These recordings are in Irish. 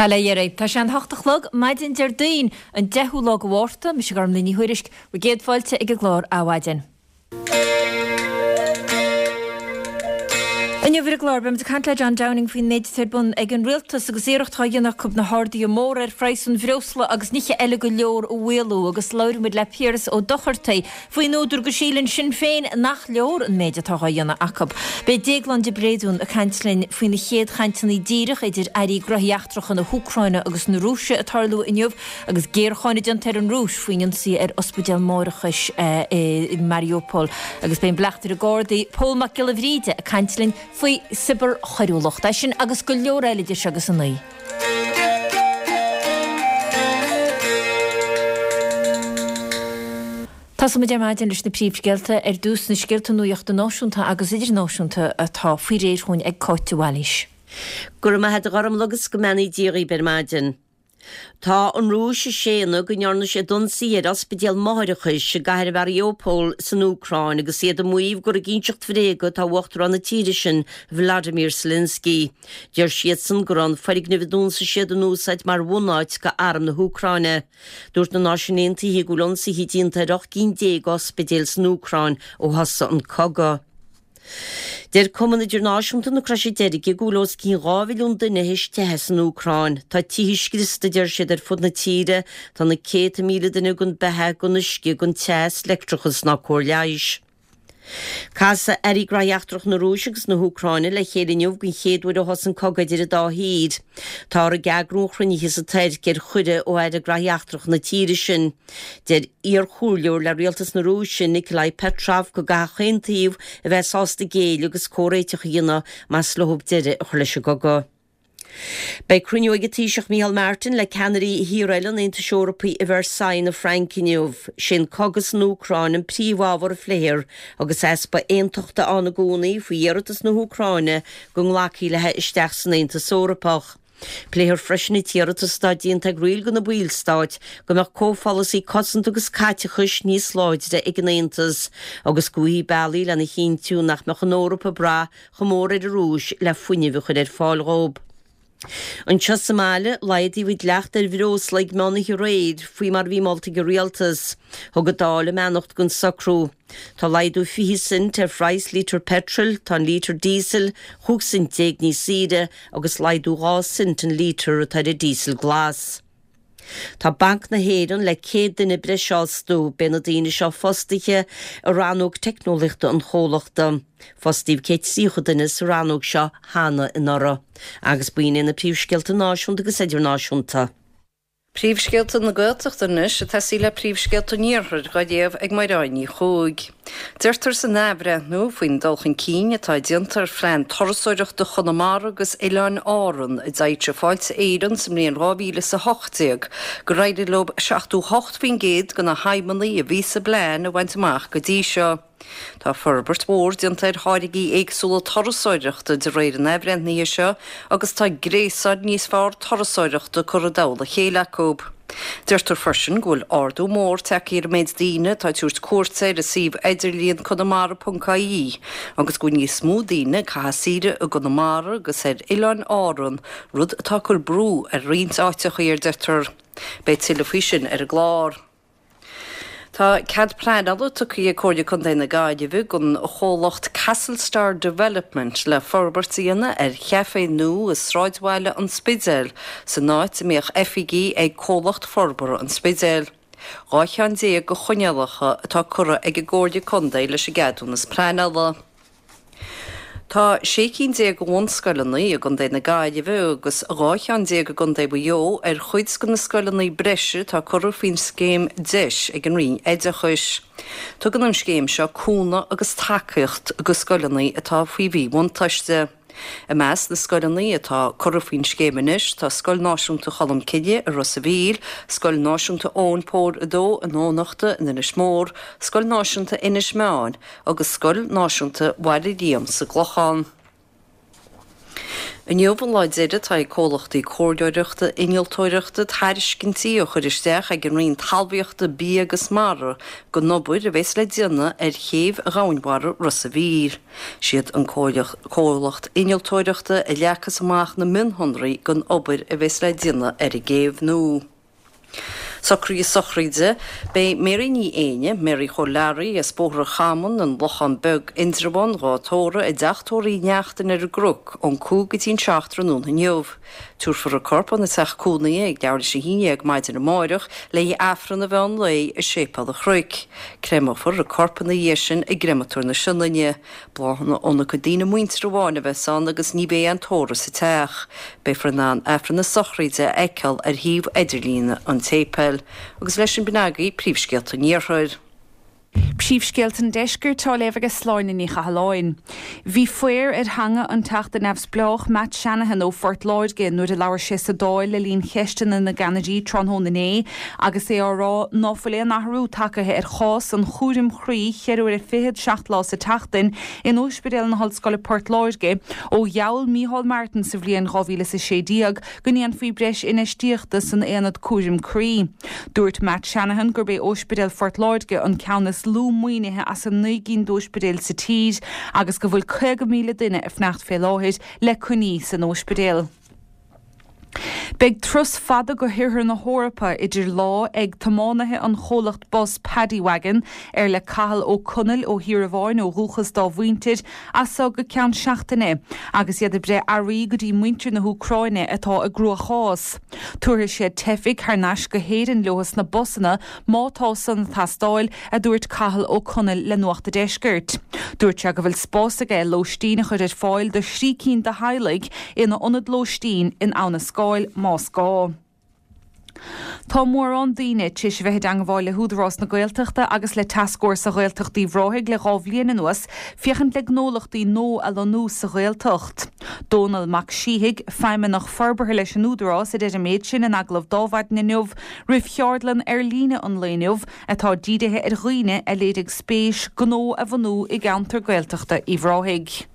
Bail ó Dhia oraibh. Tá sé an hocht a chlog, maidin Déardaoin, an 10ú lá de Mhárta. Mise Gormlaith Ní Thuairisg. Bhur gcéad fáilte ag an gclár Adhmhaidin. Inniu ar an gclár, beimid ag caint le John Downing faoin méid atá ar bun ag an rialtas agus iarracht á dhéanamh acu na harduithe móra ar phraghas an bhreosla agus nithe eile go leor a mhaolú agus labhróidh muid le Piaras Ó Dochartaigh faoin údar go síleann Sinn Féin nach leor an méid atá á dhéanamh acu. Beidh Déaglán de Bréadún ag caint linn faoi na chéad chainteanna díreach idir Airí Gnóthaí Eachtracha na hÚcráine agus na Rúise ag tarlú inniu agus géarcháineadh déanta ar an Rúis faoin ionsaí ar ospidéal máithreachais i Mariupol. Agus beidh an Bleachtaire Gardaí Pól Mac Giolla Bhríde ag caint linn faoi cibearchoiriúlacht. É sin agus go leor eile idir seo agus a 9. Tosóimid ar maidin leis na príomhscéalta. Ar dtús, na scéalta nuachta náisiúnta agus idirnáisiúnta atá faoi réir chugainn ag Cáit de Bhailís. Go raibh maith a't a Ghormlaith agus go mbeannaí Dia dhaoib ar maidin. Tá an Rúis ag séanadh go ndearna siad ionsaí ar ospidéal máithreachais i gcathair Mhariupol san Úcráin agus iad ag maíomh gur ag inseacht bhréaga atá Uachtarán na tíre sin, Vladimir Zelensky. Deir siadsan go raibh an foirgneamh a d'ionsaigh siad in úsáid mar bhunáit do arm na hÚcráine. Dúirt na Náisiúin Aontaithe go bhfuil ionsaithe déanta ar 18 gcinn d'ospidéil san Úcráin ó thosaigh an cogadh. Deir Cumann Idirnáisiúnta na Croise Deirge go bhfuil os cionn 2 mhilliún duine théis teitheadh as an Úcráin. Tá tithe scriosta, a deir siad, ar fud na tíre. Tá na céadta míle duine gan beatha, gan uisce, gan teas, leictreachas ná cóir leighis. Casfaidh Airí Gnóthaí Eachtracha na Rúise agus na hÚcráine le chéile inniu den chéad uair ó thosaigh an cogadh idir an dá thír. Táthar ag eagrú an chruinnithe sa Tuirc ar chuireadh ó Aire Gnóthaí Eachtracha na tíre sin. Deir iarchomhairleoir le rialtas na Rúise, Nikolai Petrov, go gcaithfidh chaon taobh a bheith sásta géilleadh agus comhréiteach a dhéanamh más leo deireadh a chur leis an gcogadh. Beidh cruinniú ag an Taoiseach Micheál Martin le ceannairí thíortha eile an Aontais Eorpaigh i Versailles na Fraince inniu. Sé an cogadh san Úcráin an príomhábhar a phléifear agus easpa aontachta ann i gcónaí faoi iarratas na hÚcráine go nglacfaí léi isteach san Aontas Eorpach. Pléifear freisin an t-iarratas atá déanta ag roinnt de na ballstáit go mbeadh comhpholasaí cosanta agus caiteachais níos láidre ag an Aontas agus go bhfaighfí bealaí lena chinntiú nach mbeadh an Eoraip ag brath chomh mór ar an Rúis le fuinneamh a chur ar fáil dhóibh. Anseo sa mbaile, laghdaíodh an dleacht ar bhreosla ag meán oíche aréir, faoi mar a bhí molta ag an Rialtas. Thug an Dáil a mbeannacht don socrú. Tá laghdú 20 cent ar phraghas lítear peitril, tá an lítear díosail 15 cent níos saoire agus laghdú 2 cent an lítear atá ar an díosal glas. Tá Banc na hÉireann le 100 duine breise a fhostú. Beidh na daoine seo fostaithe i rannóg teicneolaíochta an chomhlachta. Fostaíodh 130 duine sa rannóg seo cheana anuraidh. Agus b'in iad na príomhscéalta náisiúnta agus idirnáisiúnta. Príomhscéalta na Gaeltachta anois ag tosaí le príomhscéalta an Iarthair dhá léamh ag Mairéad Ní Chuaig. Deirtear san athbhreithniú faoin dul chun cinn atá déanta ar phlean turasóireachta Chonamara agus Oileáin Árann a d'fhoilsigh Fáilte Éireann sa mbliain 2018 gur éirigh leo 78% de na haidhmeanna a bhí sa bplean a bhaint amach go dtí seo. Tá forbairt mhór déanta ar tháirgí éagsúla turasóireachta de réir an athbhreithnithe seo agus tá gréasán níos fearr turasóireachta curtha i dtoll a chéile acu. Deirtear freisin go bhfuil ardú mór tagtha ar an méid daoine atá ag tabhairt cuairte ar an suíomh idirlíon conamara.ie agus go bhfuil níos mó daoine ag caitheamh saoire i gConamara agus ar Oileáin Árann, rud atá ag cur brú ar roinnt áiteachaí, a deirtear. Beidh tuilleadh faoi sin ar an gclár. Tá cead pleanála tugtha ag Comhairle Contae na Gaillimhe don chomhlacht Castlestar Development le forbairt a dhéanamh ar chaifé nua i sráidbhaile an Spidéil, san áit a mbíodh oifigí ag Comhlacht Forbartha an Spidéil. 12 cheann de choinníollacha atá curtha ag an gComhairle Contae leis an gceadúnas pleanála. Tá 16 cinn de bhunscoileanna i gContae na Gaillimhe agus 12 cheann i gContae Mhaigh Eo ar chuid de na scoileanna breise atá curtha faoin scéim DEIS ag an Roinn Oideachais. Tugann an scéim seo cúnamh agus tacaíocht do scoileanna atá faoi mhíbhuntáiste. I measc na scoileanna atá curtha faoin scéim anois tá Scoil Náisiúnta Cholmcille i Ros a' Mhíl, Scoil Náisiúnta Eoin Póil 2 i nDomhnachta in Inis Mór, Scoil Náisiúnta Inis Meáin, agus Scoil Náisiúnta Bhaile Liam sa gClochán. Inniu an lá deiridh atá ag comhlachtaí comhairleoireachta innealtóireachta tairiscintí a chur isteach ag an Roinn Talmhaíochta, Bia agus Mara don obair a bheas le déanamh ar chéibh dhomhainmhara Ros a' Mhíl. Siad an comhlacht innealtóireachta a leagfas amach na mionshonraí don obair a bheas le déanamh ar an gcéibh nua. Socruithe sochraide, Beidh Mary Ní Éinne, Mary Chóil Learaí, as Bóthar an Chamáin, An Lochán Beag, Indreabhán, dhá tórramh i dteach tórraimh Uí Neachtain ar an gCnoc ón 5 go dtí an 7 tráthnóna inniu. Tabharfar a corp óna teach cónaithe ag leathuair tar éis a 11 maidin amáireach le haghaidh Aifreann an mheán lae i Séipéal an Chnoic. Créamófar a corp ina dhiaidh sin i gCreamatóir na Sionainne. Bláthanna óna cuid daoine muinteartha amháin a bheas ann agus ní bheidh aon tórramh sa teach. Beifear in ann Aifreann na sochraide a fheiceáil ar shuíomh idirlíne an tséipéil. Agus leis sin b'in agaibh príomhscéalta an Iarthair. Príomhscéalta an Deiscirt á léamh ag Sláine Ní Chathalláin. Bhí faobhar ar theanga an Teachta Neamhspleách Matt Shanahan ó Phort Láirge nuair a labhair sé sa Dáil le linn cheisteanna na gceannairí tráthnóna inné agus é á rá ná fuil aon athrú tagtha ar chás an chúraim chroí cheithre huaire fichead, 7 lá sa tseachtain, in Ospidéal na hOllscoile Port Láirge ó gheall Micheál Martin sa bhliain 2016 go ndéanfaí breis infheistíochta san aonad cúraim croí. Dúirt Matt Shanahan gurb é Ospidéal Phort Láirge an ceann is lú maoinithe as an 9 gcinn d'ospidéil sa tír agus go bhfuil 50,000 duine ag fanacht fé láthair le coinní san ospidéal. Beidh turas fada go hOirthear na hEorpa idir lámha ag tiománaithe an chomhlacht bus Paddy Wagon, ar le Cathal Ó Conaill ó Thír Amháin ó dhúchas dá mhuintir, as so go ceann seachtaine, agus iad ag breith earraí go dtí muintir na hÚcráine atá i gcruachás. Tabharfaidh siad teifigh thar n-ais go hÉirinn leo sna busanna má tá san ag teastáil, a dúirt Cathal Ó Conaill le Nuacht a' Deiscirt. Dúirt sé go bhfuil spás aige lóistín a chur ar fáil do thrí cinn de theaghlaigh ina ionad lóistín in Abha na Scáil más gá. Tá mórán daoine tar éis a bheith i dteangmháil le hÚdarás na Gaeltachta agus le Tascfhórsa Ghaeltacht Uíbh Ráthaigh le 2 bhliain anuas féachaint le gnólachtaí nua a lonnú sa Ghaeltacht. Dónall Mac Síthigh, Feidhmeannach Forbartha leis an Údarás, a deir an méid sin in agallamh d'Adhmhaidin inniu roimh cheardlann ar líne an lae inniu atá dírithe ar dhaoine a léirigh spéis gnó a bhunú i gceantar Gaeltachta Uíbh Ráthaigh.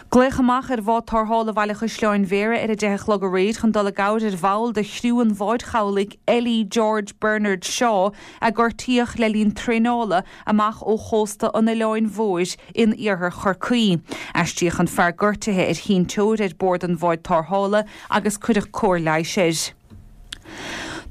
Glaodh amach ar bhád tarrthála Bhaile Chaisleáin Bhéarra ar a 10 a chlog aréir chun dul i gcabhair ar bhall de chriú an bháid chabhlaigh LE George Bernard Shaw a gortaíodh le linn traenála amach ó chósta an Oileáin Mhóir in iarthar Chorcaí. Aistríodh an fear gortaithe ar sheinnteoir ar bord an bháid tarrthála agus cuireadh cóir leighis air.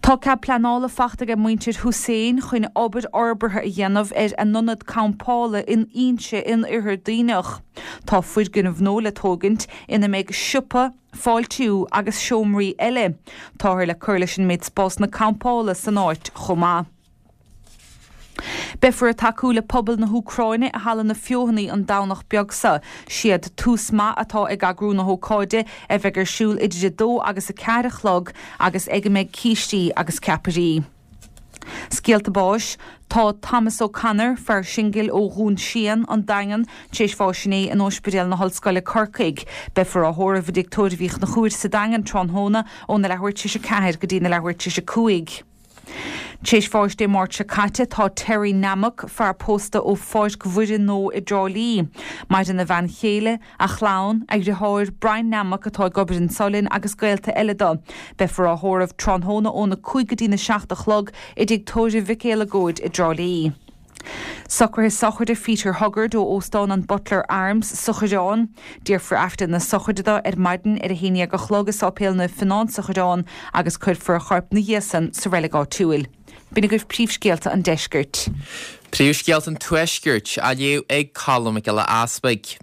Tá cead pleanála fachta ag muintir Hussain chun obair fhorbartha a dhéanamh ar a n-ionad campála in Inse in Oirthear Duibhneach. Tá foirgneamh nua le tógaint ina mbeidh siopa, fáiltiú agus seomraí eile. Táthar le cur leis an méid spásanna campála san áit chomh maith. Beifear ag tacú le pobal na hÚcráine i Halla na Feothanaí an Domhnach beag seo. Siad Tús Maith atá ag eagrú na hócáide, a bheidh ar siúl idir 2 agus 4 a chlog agus ag a mbeidh cístí agus ceapairí. Scéalta báis, Tá Thomas O'Connor, fear singil ó Dhún Síon, An Daingean, tar éis bháis inné in Ospidéal na hOllscoile, Corcaigh. Beifear á thórramh i dTigh Tórraimh Uí Chonchúir sa Daingean tráthnóna óna leathuair tar éis 4 go dtí na leathuair tar éis 5. Tar éis bháis Dé Máirt seo caite tá Terry Nammock, fear pósta ó Pháirc Mhuire Nó i dTrá Lí. Maireann a bhean chéile, a chlann, a dhriotháir Brian Nammock atá ag obair in Solin agus gaolta eile dó. Beifear á thórramh tráthnóna óna 5 go dtína 7 a chlog i dTigh Tórraimh Mhic Éalagóid i dTrá Lí. Socruithe sochraide Pheter Huggard ó Óstán an Butler Arms sa Choireán. Déarfar Aifreann na sochraide dó ar maidin ar a haon dhéag a chlog i Sáipéal Naomh Fionán sa Choireán agus cuirfear a chorp 'na dhiaidh san sa reilig áitiúil. B'in agaibh príomhscéalta an deiscirt. Príomhscéalta an Tuaiscirt á léamh ag Colm Mac Giolla Easpaig.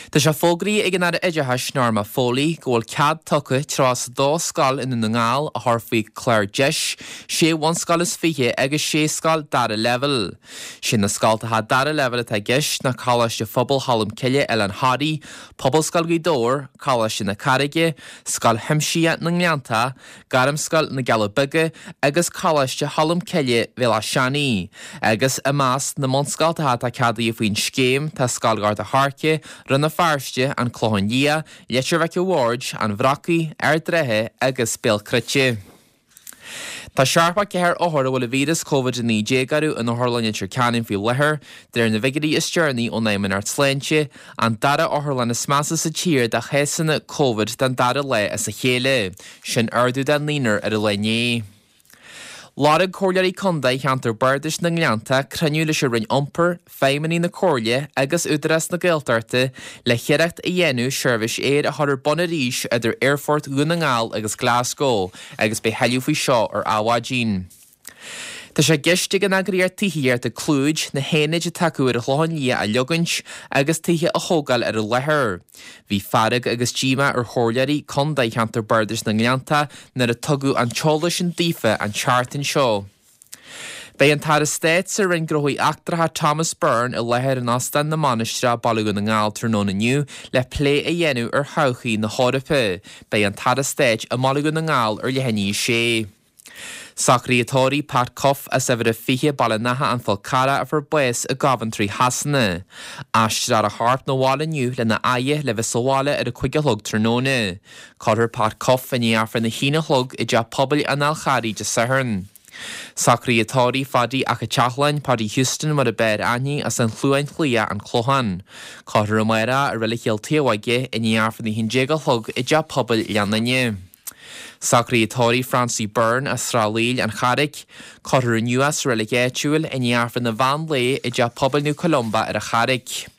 Tá sé fógraithe ag an Aire Oideachais Norma Foley go bhfuil cead tugtha 32 scoil i nDún na nGall a chur faoi chlár deis, sé bhunscoil is 20 agus sé scoil dara leibhéal. Sé na scoltacha dara leibhéal atá i gceist ná Coláiste Phobal Cholm Cille, Oileán Thoraí, Pobalscoil Ghaoth Dobhair, Coláiste na Carraige, Scoil Chuimsitheach na nGleanntach, Gairmscoil na gCealla Beaga agus Coláiste Cholm Cille, Bhéal Átha Seanaidh. Agus i measc na mbunscoltacha atá ceadaithe faoin scéim tá Scoil Ghort a' Choirce, Rann na Feirste, An Clochán Liath, Leitir Mhic a' Bhaird, An Bhrocaigh, Ard an Rátha agus Béal Cruite. Tá 74 othar a bhfuil an víreas Covid-19 orthu in Otharlann Leitir Ceanainn faoi láthair, de réir na bhfigiúirí is deireanaí ón Fheidhmeannacht Sláinte, an dara otharlann is measa sa tír do chásanna Covid don dara lá as a chéile. Sin ardú de naonúr ar an lá inné. Lorg Comhairleoirí Contae Cheantar Bardais na nGleannta cruinniú leis an Roinn Iompair, feidhmeannaigh na Comhairle agus Údarás na Gaeltachta le hiarracht a dhéanamh seirbhís aeir a chur ar bun arís idir Aerfort Dhún na nGall agus Glasgow agus beidh thuilleadh faoi seo ar Adhmhaidin. Tá sé i gceist ag an eagraíocht tithíochta Clúid na haonaid atá acu ar an Chlochán Liath a leogaint agus tithe a thógáil ar an láthair. Bhí fearg agus díomá ar chomhairleoirí contae cheantar Bardais na nGleannta nuair a tugadh an t-eolas sin daofa an tseachtain seo. Beidh an tAire Stáit sa Roinn Gnóthaí Eachtracha Thomas Byrne i láthair in Óstán na Mainistreach, Baile Dhún na nGall tráthnóna inniu le plé a dhéanamh ar thodhchaí na hEorpa. Beidh an tAire Stáit i mBaile Dhún na nGall ar leath i ndiaidh a sé. Socruithe tórraimh Pat Cuffe as uimhir a 20, Baile an Átha, An Fál Carrach a fuair bás i gCoventry Shasana. Aistreofar a chorp 'na bhaile inniu lena fhaire le bheith sa bhaile ar a 5 a chlog tráthnóna. Cuirfear Pat Cuffe i ndiaidh Aifreann a haon a chlog i dTeach Pobail an Fháil Charraigh Dé Sathairn. Socruithe tórraimh Phaddy 'ac a' tSeachlainn, Paddy Houston mar a b'fhearr aithne, as an Chluain Chliath, An Clochán. Cuirfear amárach i Reilig Chill Taobhóige i ndiaidh Aifreann a haon déag a chlog i dTeach Pobail Ghleann Fhinne. Socruithe tórraimh Francie Byrne as Srath Laoil, An Charraic. Cuirfear inniu é sa reilig áitiúil i ndiaidh Aifreann an mheán lae i dTeach Pobail Naomh Columba ar an Charraic.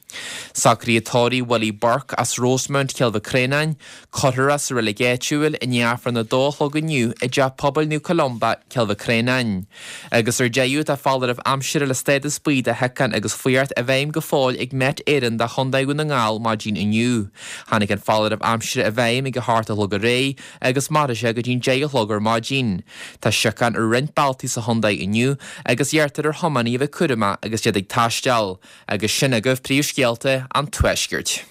Socruithe tórraimh Willie Burke as Rosemount, Cill Mhic Réanáin, Cuirfear é sa reilig áitiúil i ndiaidh Aifreann a dó a chlog inniu i dTeach Pobail Naomh Columba, Cill Mhic Réanáin. Agus ar deireadh, tá foláireamh aimsire le stádas buí de shiocain agus fuireacht i bhfeidhm go fóill ag Met Éireann do Chontae Dhún na nGall maidin inniu. Tháinig an foláireamh aimsire i bhfeidhm ag a hocht a chlog aréir agus mairfidh sé go dtí'n deich a chlog ar maidin. Tá siocain ar roinnt bealtaí sa chontae inniu agus iarrtar ar thiománaithe a bheith cúramach agus iad ag taisteal. Agus sin agaibh príomhscéalta an Tuaiscirt.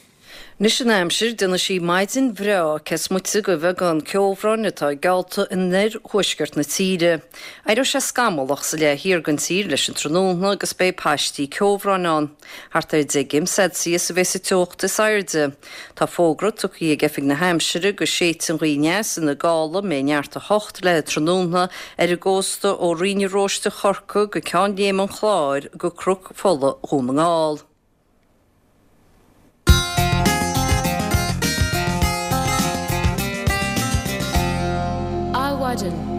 Anois an aimsir, déanfaidh sí maidin bhreá cés moite de bheagán ceobhráin atá geallta in oir-thuaisceart na tíre. Éireoidh sé scamallach sa leath thiar den tír leis an tráthnóna agus beidh paistí ceobhráin ann. Thart ar 10 gcéim Celsius a bheas an teocht is airde. Tá fógra tugtha ag Oifig na hAimsire go séidfidh an ghaoth aneas ina gála a mbeidh neart 8 léi tráthnóna ar an gcósta ó Rinn an Róiste Chorcaí go Ceann Léime an Chláir go Cnoc Fola Dhún na nGall. Adhmhaidin.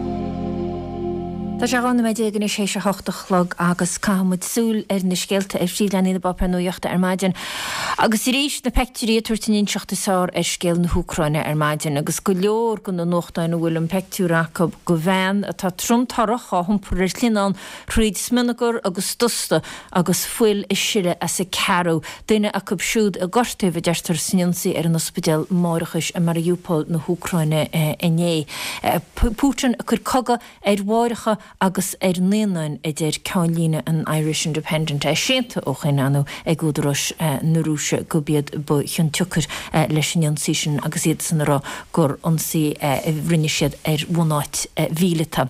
Tá sé 12 nóiméad anois théis a hocht a chlog agus caithfidh muid súil ar na scéalta ar phríomhleathanaigh na bpáipéar nuachta ar maidin. Agus arís na peictiúirí ag tabhairt an inseacht is fearr ar scéal na hÚcráine ar maidin agus go leor de na nuachtáin a bhfuil an peictiúr acu de bhean atá trom torrach á hiompar ar shlinneán Thríd smionagar agus dusta agus fuil ag sileadh as a ceathrú, duine acu siúd a gortaíodh, a deirtear, san ionsaí ar an ospidéal máithreachais i Mariupol na hÚcráine inné. Putin ag cur cogadh ar mháithreacha agus ar naíonáin, a deir ceannlíne an Irish Independent, é séanta ó shoin, ar ndóigh, ag údaráis na Rúise gurb iad ba chionsiocair leis an ionsaí sin agus iadsan ag rá gur ionsaí a rinne siad ar bhunáit mhíleata.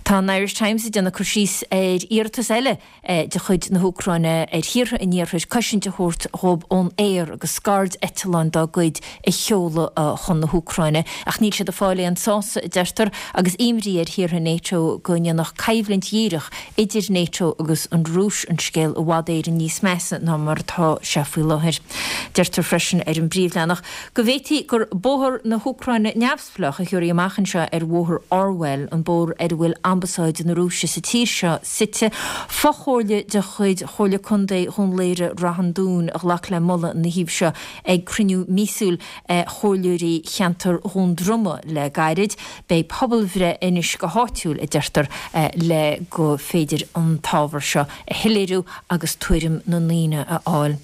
Tá an Irish Times ag déanamh cur síos ar iarratas eile de chuid na hÚcráine ar thíortha an iarthair cosaint a thabhairt dhóibh ón aer agus scaird-eitleáin dá gcuid a sheoladh chun na hÚcráine. Ach níl siad ag fáil aon sásamh, a deirtear, agus imní ar thíortha NATO go ndéanfadh coimhlint dhíreach idir NATO agus an Rúis an scéal i bhfad Éireann níos measa ná mar atá sé faoi láthair. Deirtear freisin ar an bpríomhleathanach Go bhféadfaí gur Bóthar na hÚcráine Neamhspleách a thiúrfaí amach anseo ar Bhóthar Orwell, an bóthar ar a bhfuil Ambasáid na Rúise sa tír seo suite. Fochomhairle de chuid Chomhairle Contae Dhún Laoghaire-Rath an Dúin a ghlac le moladh ina thaobh seo ag cruinniú míosúil chomhairleoirí cheantar Dhún Droma le gairid. Beidh pobalbhreith anois go háitiúil, a deirtear, le go féidir an t-ábhar seo a shoiléiriú agus tuairim na ndaoine a fháil.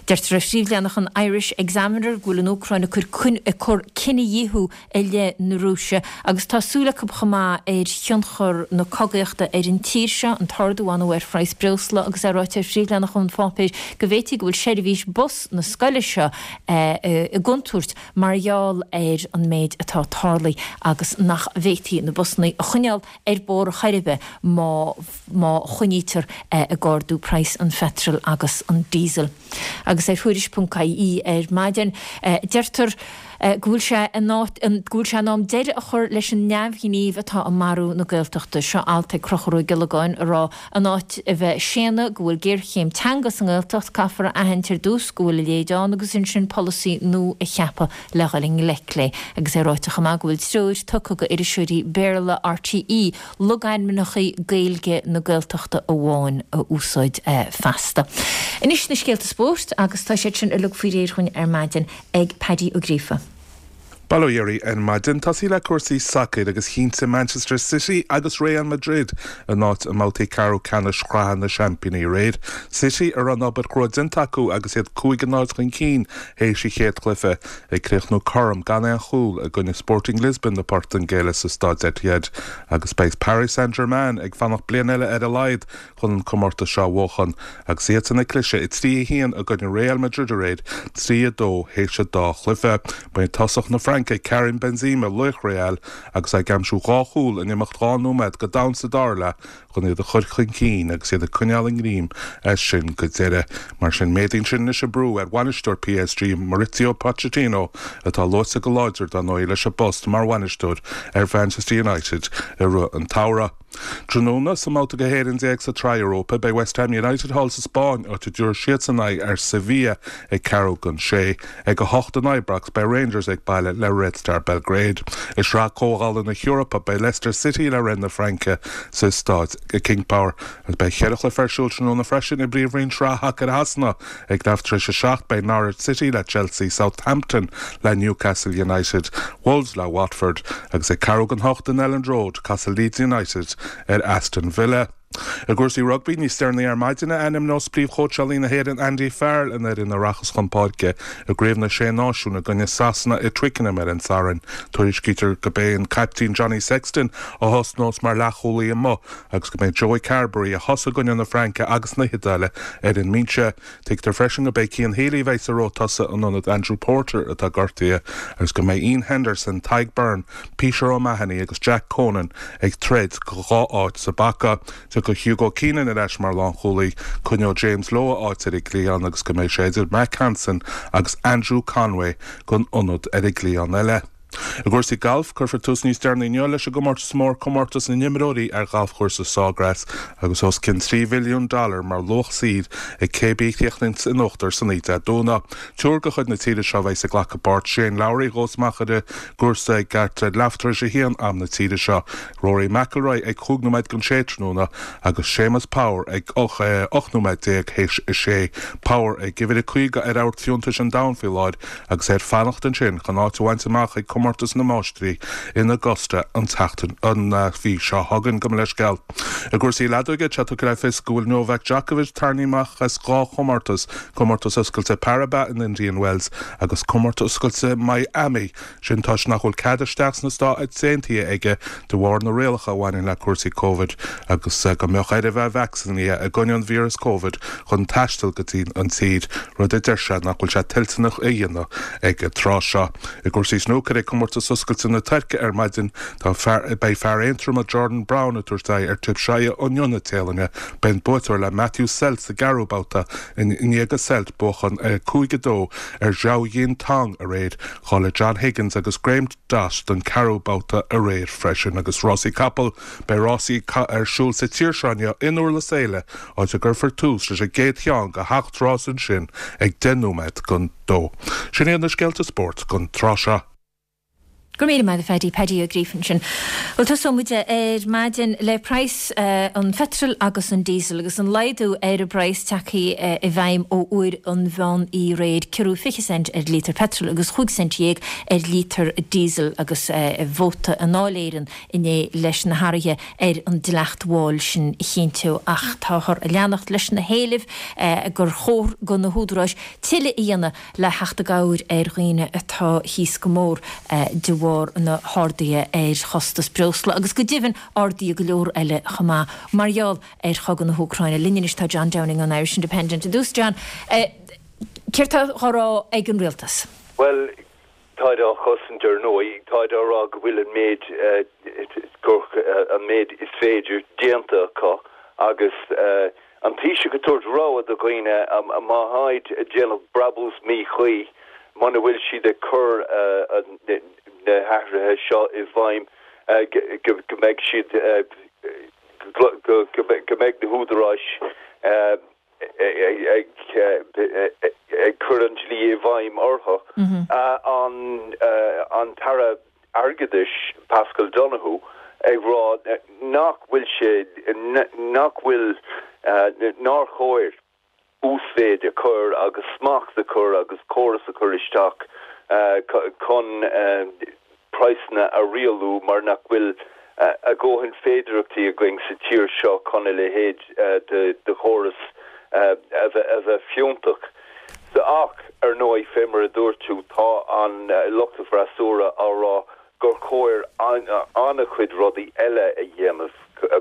Deirtear ar phríomhleathanach an Irish Examiner go bhfuil an Úcráin ag cur cinedhíothú i leith na Rúise agus tá súil acu chomh maith ar thionchar na cogaíochta ar an tír seo, an t-ardú ar ndóigh ar phraghas breosla agus é ráite ar phríomhleathanach an pháipéir go bhféadfaí go bhfuil seirbhís bus na scoile seo i gcontúirt mar gheall ar an méid atá tarlaithe agus nach bhféadfaí na busanna a choinneáil ar bóthar chor ar bith má má choinnítear ag ardú praghas an pheitril agus an diesel. Agus ar Thuairisc.ie ar maidin, deirtear. Go bhfuil sé in áit, go bhfuil sé in am deireadh a chur leis an neamhghníomh atá ag marú na Gaeltachta. Seo alt ag Conchúr Ó Giollagáin ag rá in áit a bheith ag séanadh go bhfuil géarchéim teanga sa nGaeltacht, caithfear a aithint ar dtús go bhfuil a leithéid ann agus ansin polasaí nua a cheapadh le dhul i ngleic léi. Agus é ráite chomh maith go bhfuil treoir tugtha go iriseoirí Béarla RTÉ logainmneacha Gaeilge na Gaeltachta amháin a úsáid feasta. Anois na scéalta spóirt agus tá siad sin uilig faoi réir dhúinn ar maidin ag Paddy Ó Gríofa. Bail ó Dhia oraibh ar maidin. Tosaí le cúrsaí sacair agus chinntigh Manchester City agus Real Madrid a n-áit i mbabhtaí ceathrú ceannais Shraith na Seaimpíní aréir. City a raibh an obair chrua déanta acu agus iad 5-0 chun cinn théis an chéad chluiche, ag críochnú cothrom gan aon chúl i gcoinne Sporting Lisbon na Portaingéile sa Staid Etihad agus beidh Paris Saint-Germain ag fanacht bliain eile ar a laghad chun an comórtas seo a bhuachan agus iadsan ag cliseadh 3-1 i gcoinne Real Madrid aréir, 3-2 théis an dá chluiche. Ba é tosach na Fraince, Karim Benzema, laoch Real agus é ag aimsiú dhá chúl in imeacht 2 nóiméad go domhain sa dara leath chun iad a chur chun cinn agus iad ag coinneáil a ngreim as sin go deireadh. Mar sin, méadaíonn sin anois an brú ar bhainisteoir PSG, Mauricio Pochettino, atá luaite go láidir, dar ndóigh, leis an bpost mar bhainisteoir ar Mhanchester United i rith an tsamhraidh. Tráthnóna, sa mbabhta go 11 éireann sa tSraith Europa, beidh West Ham United thall sa Spáinn, áit a dtabharfaidh siadsan aghaidh ar Sevilla ag ceathrú don sé. Ag 8 in Ibrox, beidh Rangers ag baile le Red Star Belgrade. I Sraith Comhdhála na hEorpa, beidh Leicester City le Rennes na Fraince sa staid King Power. Agus beidh cheithre chluiche ar siúl tráthnóna freisin i bPríomhroinn Shraith Shacair Shasana. Ag leath tar éis a seacht, beidh Norwich City le Chelsea, Southampton le Newcastle United, Wolves le Watford agus ag ceathrú don hocht in Elland Road, casfaidh Leeds United ar Aston Villa. I gcúrsaí rugbaí, níos deireanaí ar maidin a ainmneos príomhchóitseálaí na hÉireann Andy Farrell an fhoireann a rachas chun páirce i gCraobh na Sé Náisiún i gcoinne Sasana i Twickenham ar an Satharn. Tuairiscítear go b'é an caiptín Johnny Sexton a thosnós mar leathchúlaí amuigh agus go mbeidh Joey Carbery, a thosaigh i gcoinne na Fraince agus na hIodáile, ar an mbinse. Tuigtear freisin go b'é Cian Healy a bheidh sa ró tosaigh in ionad Andrew Porter atá gortaithe agus go mbeidh Iain Henderson, Tadhg Beirne, Peter O'Mahony agus Jack Conan ag troid do dhá áit sa bpaca. Tiocfaidh Hugo Keenan ar ais mar lánchúlaí, coinneoidh James Lowe a áit ar an gcliathán agus go mbeidh sé idir Mack Hansen agus Andrew Conway don ionad ar an gcliathán eile. I gcúrsaí gailf, cuirfear tús níos deireanaí inniu leis an gcomórtas mór, Comórtas na nImreoirí ar ghalfchúrsa Sawgrass, agus os cionn 3 mhilliún dollar mar luach saoir ag cé bith a chríochnaíonns in uachtar san oíche Dé Domhnaigh. Triúr de chuid na tíre seo a bheas ag glacadh páirt, Shane Lowry a ghabhfas amach ar an gcúrsa ag leath tar éis a haon am na tíre seo, Rory McIlroy ag chúig nóiméad don sé tráthnóna agus Séamus Power ag 18 nóiméad théis a sé. Power ag uimhir a 50 ar amharc fiúntais an domhain faoi láthair agus é ag fanacht ansin chun áit a bhaint amach ag Comórtas na Máistrí in Augusta an tseachtain an mhí seo chugainn. Gabh mo leithscéal. I gcúrsaí leadóige, tá tugtha le fios go bhfuil Novak Djokovic tarraingthe amach as dhá chomórtas, Comórtas Oscailte Paribas in Indian Wells agus Comórtas Oscailte Miami. Sin toisc nach bhfuil cead isteach sna Stáit Aontaithe aige de bharr na rialacha a bhaineann le cúrsaí Covid agus go mbeadh air a bheith vacsaínithe i gcoinne an víreas Covid chun taisteal go dtí an tír, rud a deir sé nach bhfuil sé toilteanach a dhéanamh ag an tráth seo. I gcúrsaí snúcair, ag Comórtas Oscailte na Tuirce ar maidin, tá fear, beidh fear Aontroma Jordan Brown ag tabhairt aghaidh ar Thepchaiya Un-Nooh na Téalainne. Beidh an buaiteoir le Matthew Selt sa gceathrú babhta i ndiaidh do Selt buachan 5-2 ar Zhao Xintong aréir. Cháiligh John Higgins agus Graeme Dott don ceathrú babhta aréir freisin. Agus rásaí capall, beidh rásaí ar siúl sa tír seo inniu in Durlas Éile, áit a gcuirfear tús leis an gcéad cheann de sheacht rás ansin ag 10 nóiméad don dó. Sin iad na scéalta spóirt don tráth seo. Go raibh míle maith agat a Phaddy, Paddy Ó Gríofa ansin. Bhuel tosóidh muid ar maidin le praghas an pheitril agus an diesel agus an laghdú ar an bpraghas tagtha i bhfeidhm ó uair an mheán oíche aréir, ciorrú 20 cent ar líotar peitril agus chúig cent dhéag ar líotar diesel agus vóta i nDáil Éireann inné leis na hathruithe ar an dleacht mháil sin a chinntiú ach táthar ag leanacht leis na héilimh gur chóir do na húdaráis tuilleadh a dhéanamh le theacht i gcabhair ar dhaoine atá thíos go mór de bharr na harduithe ar chostas breosla agus go deimhin arduithe go leor eile chomh maith mar gheall ar chogadh na hÚcráine. Linn anois tá John Downing ón Irish Independent. Ar dtús, John, céard tá á rá ag an rialtas? Bhuel, táid á chosaint ar ndóigh. Táid á rá go bhfuil an méid, gur an méid is féidir déanta acu agus an Taoiseach ag tabhairt rabhadh do dhaoine má tháid ag déanamh brabús míchuí. muna bhfuil siad ag cur na hathruithe seo i bhfeidhm go mbeidh siad go mbeidh na húdaráis ag cur an dlí i bhfeidhm orthu. An tAire Airgeadais Paschal Donohoe ag rá nach bhfuil sé nach bhfuil nár chóir uasmhéid a chur agus smacht a chur agus córas a chur isteach chun praghsanna a rialú mar nach bhfuil a dhóthain féidearthachtaí againn sa tír seo chun a leithéid de chóras a bheith fiúntach. Ach, ar ndóigh, fé mar a dúirt tú, tá an lucht an fhreasúra á rá gur chóir an-chuid rudaí eile a dhéanamh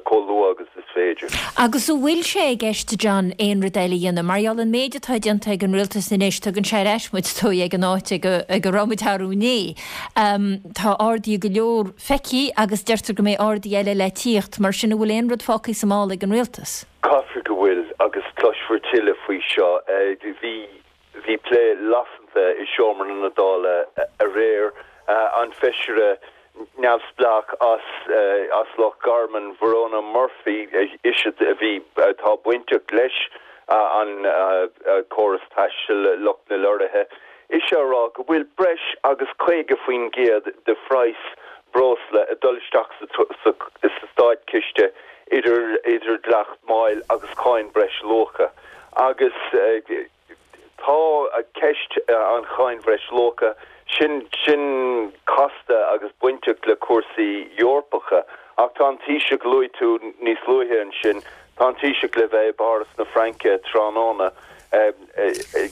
chomh luath agus is féidir. Agus an bhfuil sé i gceist, John, aon rud eile a dhéanamh? Mar gheall an méid atá déanta ag an rialtas anois, tugann sé ar ais muid, is dóigh, ag an áit ag a raibh muid arú inné. Tá arduithe go leor feicthe agus deirtear go mbeidh arduithe eile le tíocht. Mar sin, an bhfuil aon rud fágtha sa mála ag an rialtas? Caithfear go bhfuil, agus cloisfear tuilleadh faoi seo. Bhí. Bhí plé lasanta i seomra na Dála aréir. An feisire neamhspleách as Loch Garman, Verona Murphy, ise a bhí, atá bainteach leis an córas taistil, lucht na lorraithe, ise á rá go bhfuil breis agus 50% de phraghas breosla ag dul isteach sa státchiste idir dleacht máil agus cáin bhreisluacha agus Tá ceist an cháin bhreisluacha sin sin casta agus bainteach le cúrsaí Eorpacha ach tá an Taoiseach, luaigh tú níos luaithe ansin, tá an Taoiseach le bheith i bPáras na Fraince tráthnóna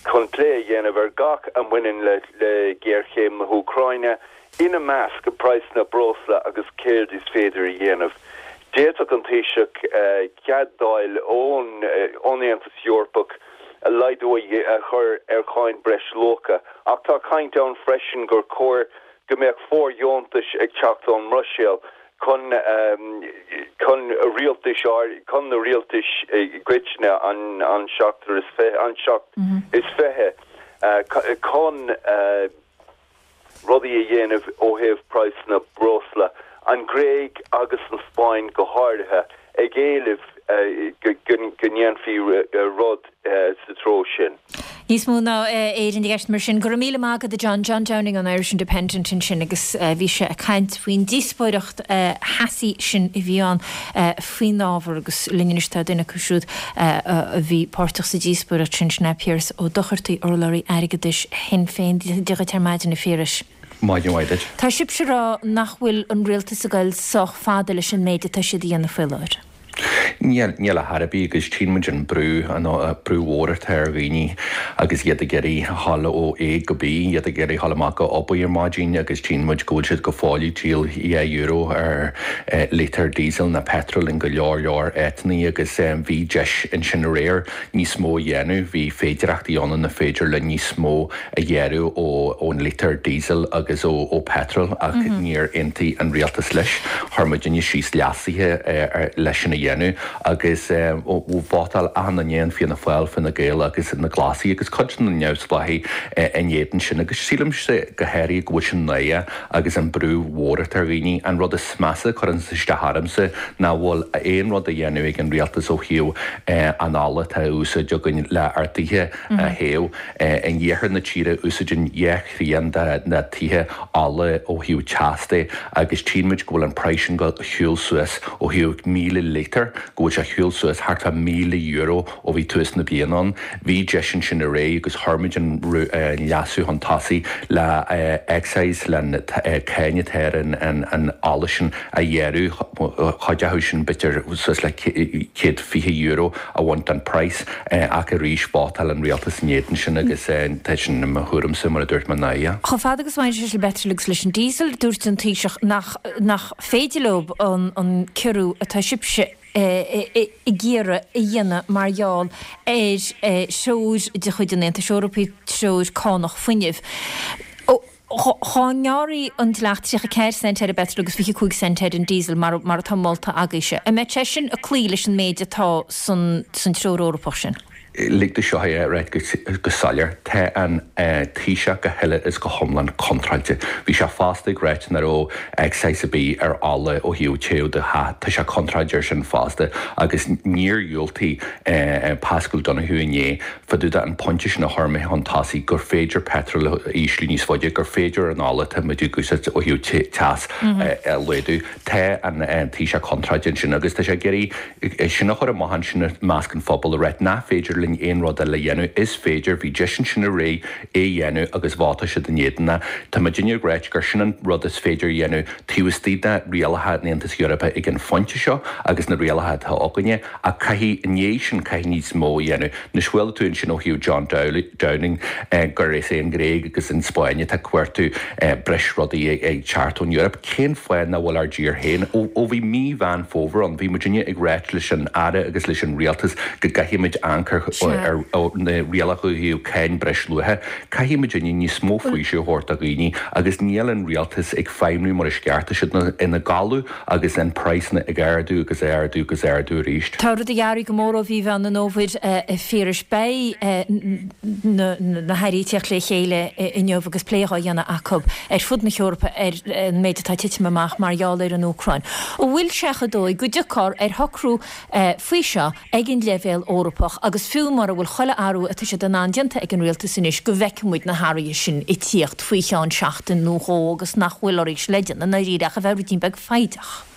chun plé a dhéanamh ar gach a mbaineann le géarchéim na hÚcráine. ina measc praghsanna breosla agus céard is féidir a dhéanamh. D'fhéadfadh an Taoiseach cead d'fháil ón Aontas Eorpach laghdú a chur ar cháin bhreisluacha ach tá caint ann freisin gur chóir go mbeadh fóirdheontais ag teacht ón mBruiséil chun chun rialtais chun na rialtais i gcoitinne, an seachtar is an 27 chun rudaí a dhéanamh ó thaobh praghsanna breosla, an Ghréig agus an Spáinn go háirithe, ag éileamh go ndéanfaí rud sa treo sin. Níos mó ná Éirinn i gceist mar sin. Go raibh míle maith agat a John. John Downing ón Irish Independent ansin agus bhí sé ag caint faoin díospóireacht theasaí sin a bhí ann faoin ábhar agus linn anois tá duine acu siúd a bhí páirteach sa díospóireacht sin, sin é Piaras Ó Dochartaigh, urlabhraí airgeadais Shinn Féin. Dia dhuit ar maidin, a Phiarais. Maidin mhaith duit. Tá sibhse ag rá nach bhfuil an rialtas ag goil sách fada leis an méid atá siad a dhéanamh faoi láthair. Níl, níl ar chor ar bith agus tchíonn muid an brú, an brú mhór atá ar dhaoine agus iad ag iarraidh a ghabháil ó A go B, iad ag iarraidh a ghabháil amach go obair ar maidin agus tchíonn muid go bhfuil siad go fóill ag díol €2 ar lítear diesel ná petrol in go leor leor áiteanna agus bhí deis ansin aréir níos mó a dhéanamh, bhí féidireachtaí ann inar féidir linn níos mó a ghearradh ón lítear diesel agus ó petrol ach níor aontaigh an rialtas leis. Chuir muidinne síos leasuithe leis sin a dhéanamh agus vótáil achan duine in Fianna Fáil, Fine Gael agus na Glasaigh agus cuid de na neamhspleáchaigh in éadan sin agus sílimse go háirithe go bhfuil sin náireach agus an brú mhór atá ar dhaoine. An rud is measa a chuireann isteach ormsa nach bhfuil aon rud á dhéanamh ag an rialtas ó thaobh an ola atá á úsáid againn le ár dtithe a théamh. In iarthar na tíre úsáideann dhá thrian de na tithe ola ó thaobh teas de agus tchíonn muid go bhfuil an praghas sin ag siúl suas ó thaobh 1,000 lítear, go bhfuil sé ag siúl suas thart fá €1,000 ó bhí tús na bliana ann. Bhí deis ansin aréir agus chuir muid an leasú chun tosaigh le excise, le cáin atá ar an ola sin a ghearradh, cuid acu sin b'fhéidir suas le €120 a bhaint den praghas ach arís vótáil an rialtas in éadan sin agus tá sin i mo thuairimse mar a dúirt mé náireach. Chomh fada agus a bhaineann sé leis an bpeitreal agus leis an diesel, dúirt an Taoiseach nach nach féidir leo an ciorrú atá sibhse ag iarraidh a dhéanamh mar gheall ar threoir de chuid an Aontais Eorpaigh, treoir cánach fuinnimh. Dhá ngearrfaí an dleacht 34 cent ar an bpeitreal agus 25 cent ar an diesel mar mar atá molta agaibhse, an mbeadh sé sin ag cloí leis an méid atá san san Treoir Eorpach sin? Lig domh seo a ráit go soiléir, tá an Taoiseach go huile is go hiomlán contráilte. Bhí sé fosta ag ráit nach raibh excise ar bith ar ola ó thaobh téamh do theach, tá sé contráilte ar sin fosta agus níor dhiúltaigh Paschal Donohoe inné fá dtaobh de an pointe sin a chuir mé chun tosaigh gur féidir peitreal a ísliú níos faide, gur féidir an ola atá muid ag úsáid ó thaobh teas a laghdú. Tá an Taoiseach contráilte ansin agus tá sé ag iarraidh É sin a chur amach ansin i measc an phobail a ráit nach féidir linn aon rud eile a dhéanamh. Is féidir, bhí deis ansin aréir é a dhéanamh agus vótáil siad in éadan é. Tá muidinne ag ráit gur sin an rud is féidir a dhéanamh taobh istigh de rialacha an Aontais Eorpaigh ag an phointe seo agus na rialacha atá againne ach caithfidh, i ndiaidh sin, caithfidh níos mó a dhéanamh. Anois chuala tú ansin ó thaobh John Downing gur is é an Ghréig agus an Spáinn atá ag cuartú breis rudaí ag teacht ón Eoraip. Cén fáth nach bhfuil ár dtír féin? Ó bhí mí Mheán Fómhair ann, bhí muidinne ag ráit leis an Aire agus leis an Rialtas go gcaithfidh muid amharc ar na rialacha ó thaobh cáin breisluacha. Caithfidh muidinne níos mó faoiseamh a thabhairt do dhaoine agus níl an Rialtas ag feidhmniú mar is ceart. Tá siad ina gcodladh agus an praghsanna ag ardú agus ardú agus ardú arís. Tá rudaí athraithe go mór ó mhí Mheán an Fhómhair, a Phiarais. Beidh na hairí ag tíocht le chéile inniu agus plé á dhéanamh acu ar fud na hEorpa ar an méid atá ag titim amach mar gheall ar an Úcráin. An bhfuil sé chomh dóigh go dtiocfar ar shocrú faoi seo ag an leibhéal Eorpach agus fiú mura bhfuil chuile athrú atá siad in ann déanta ag an rialtas anois go bhfeicfidh muid na hathruithe sin ag tíocht faoi cheann seachtain nó dhó agus nach bhfuil oraibhse le déanamh i ndáiríre ach a bheith ruidín beag foighdeach.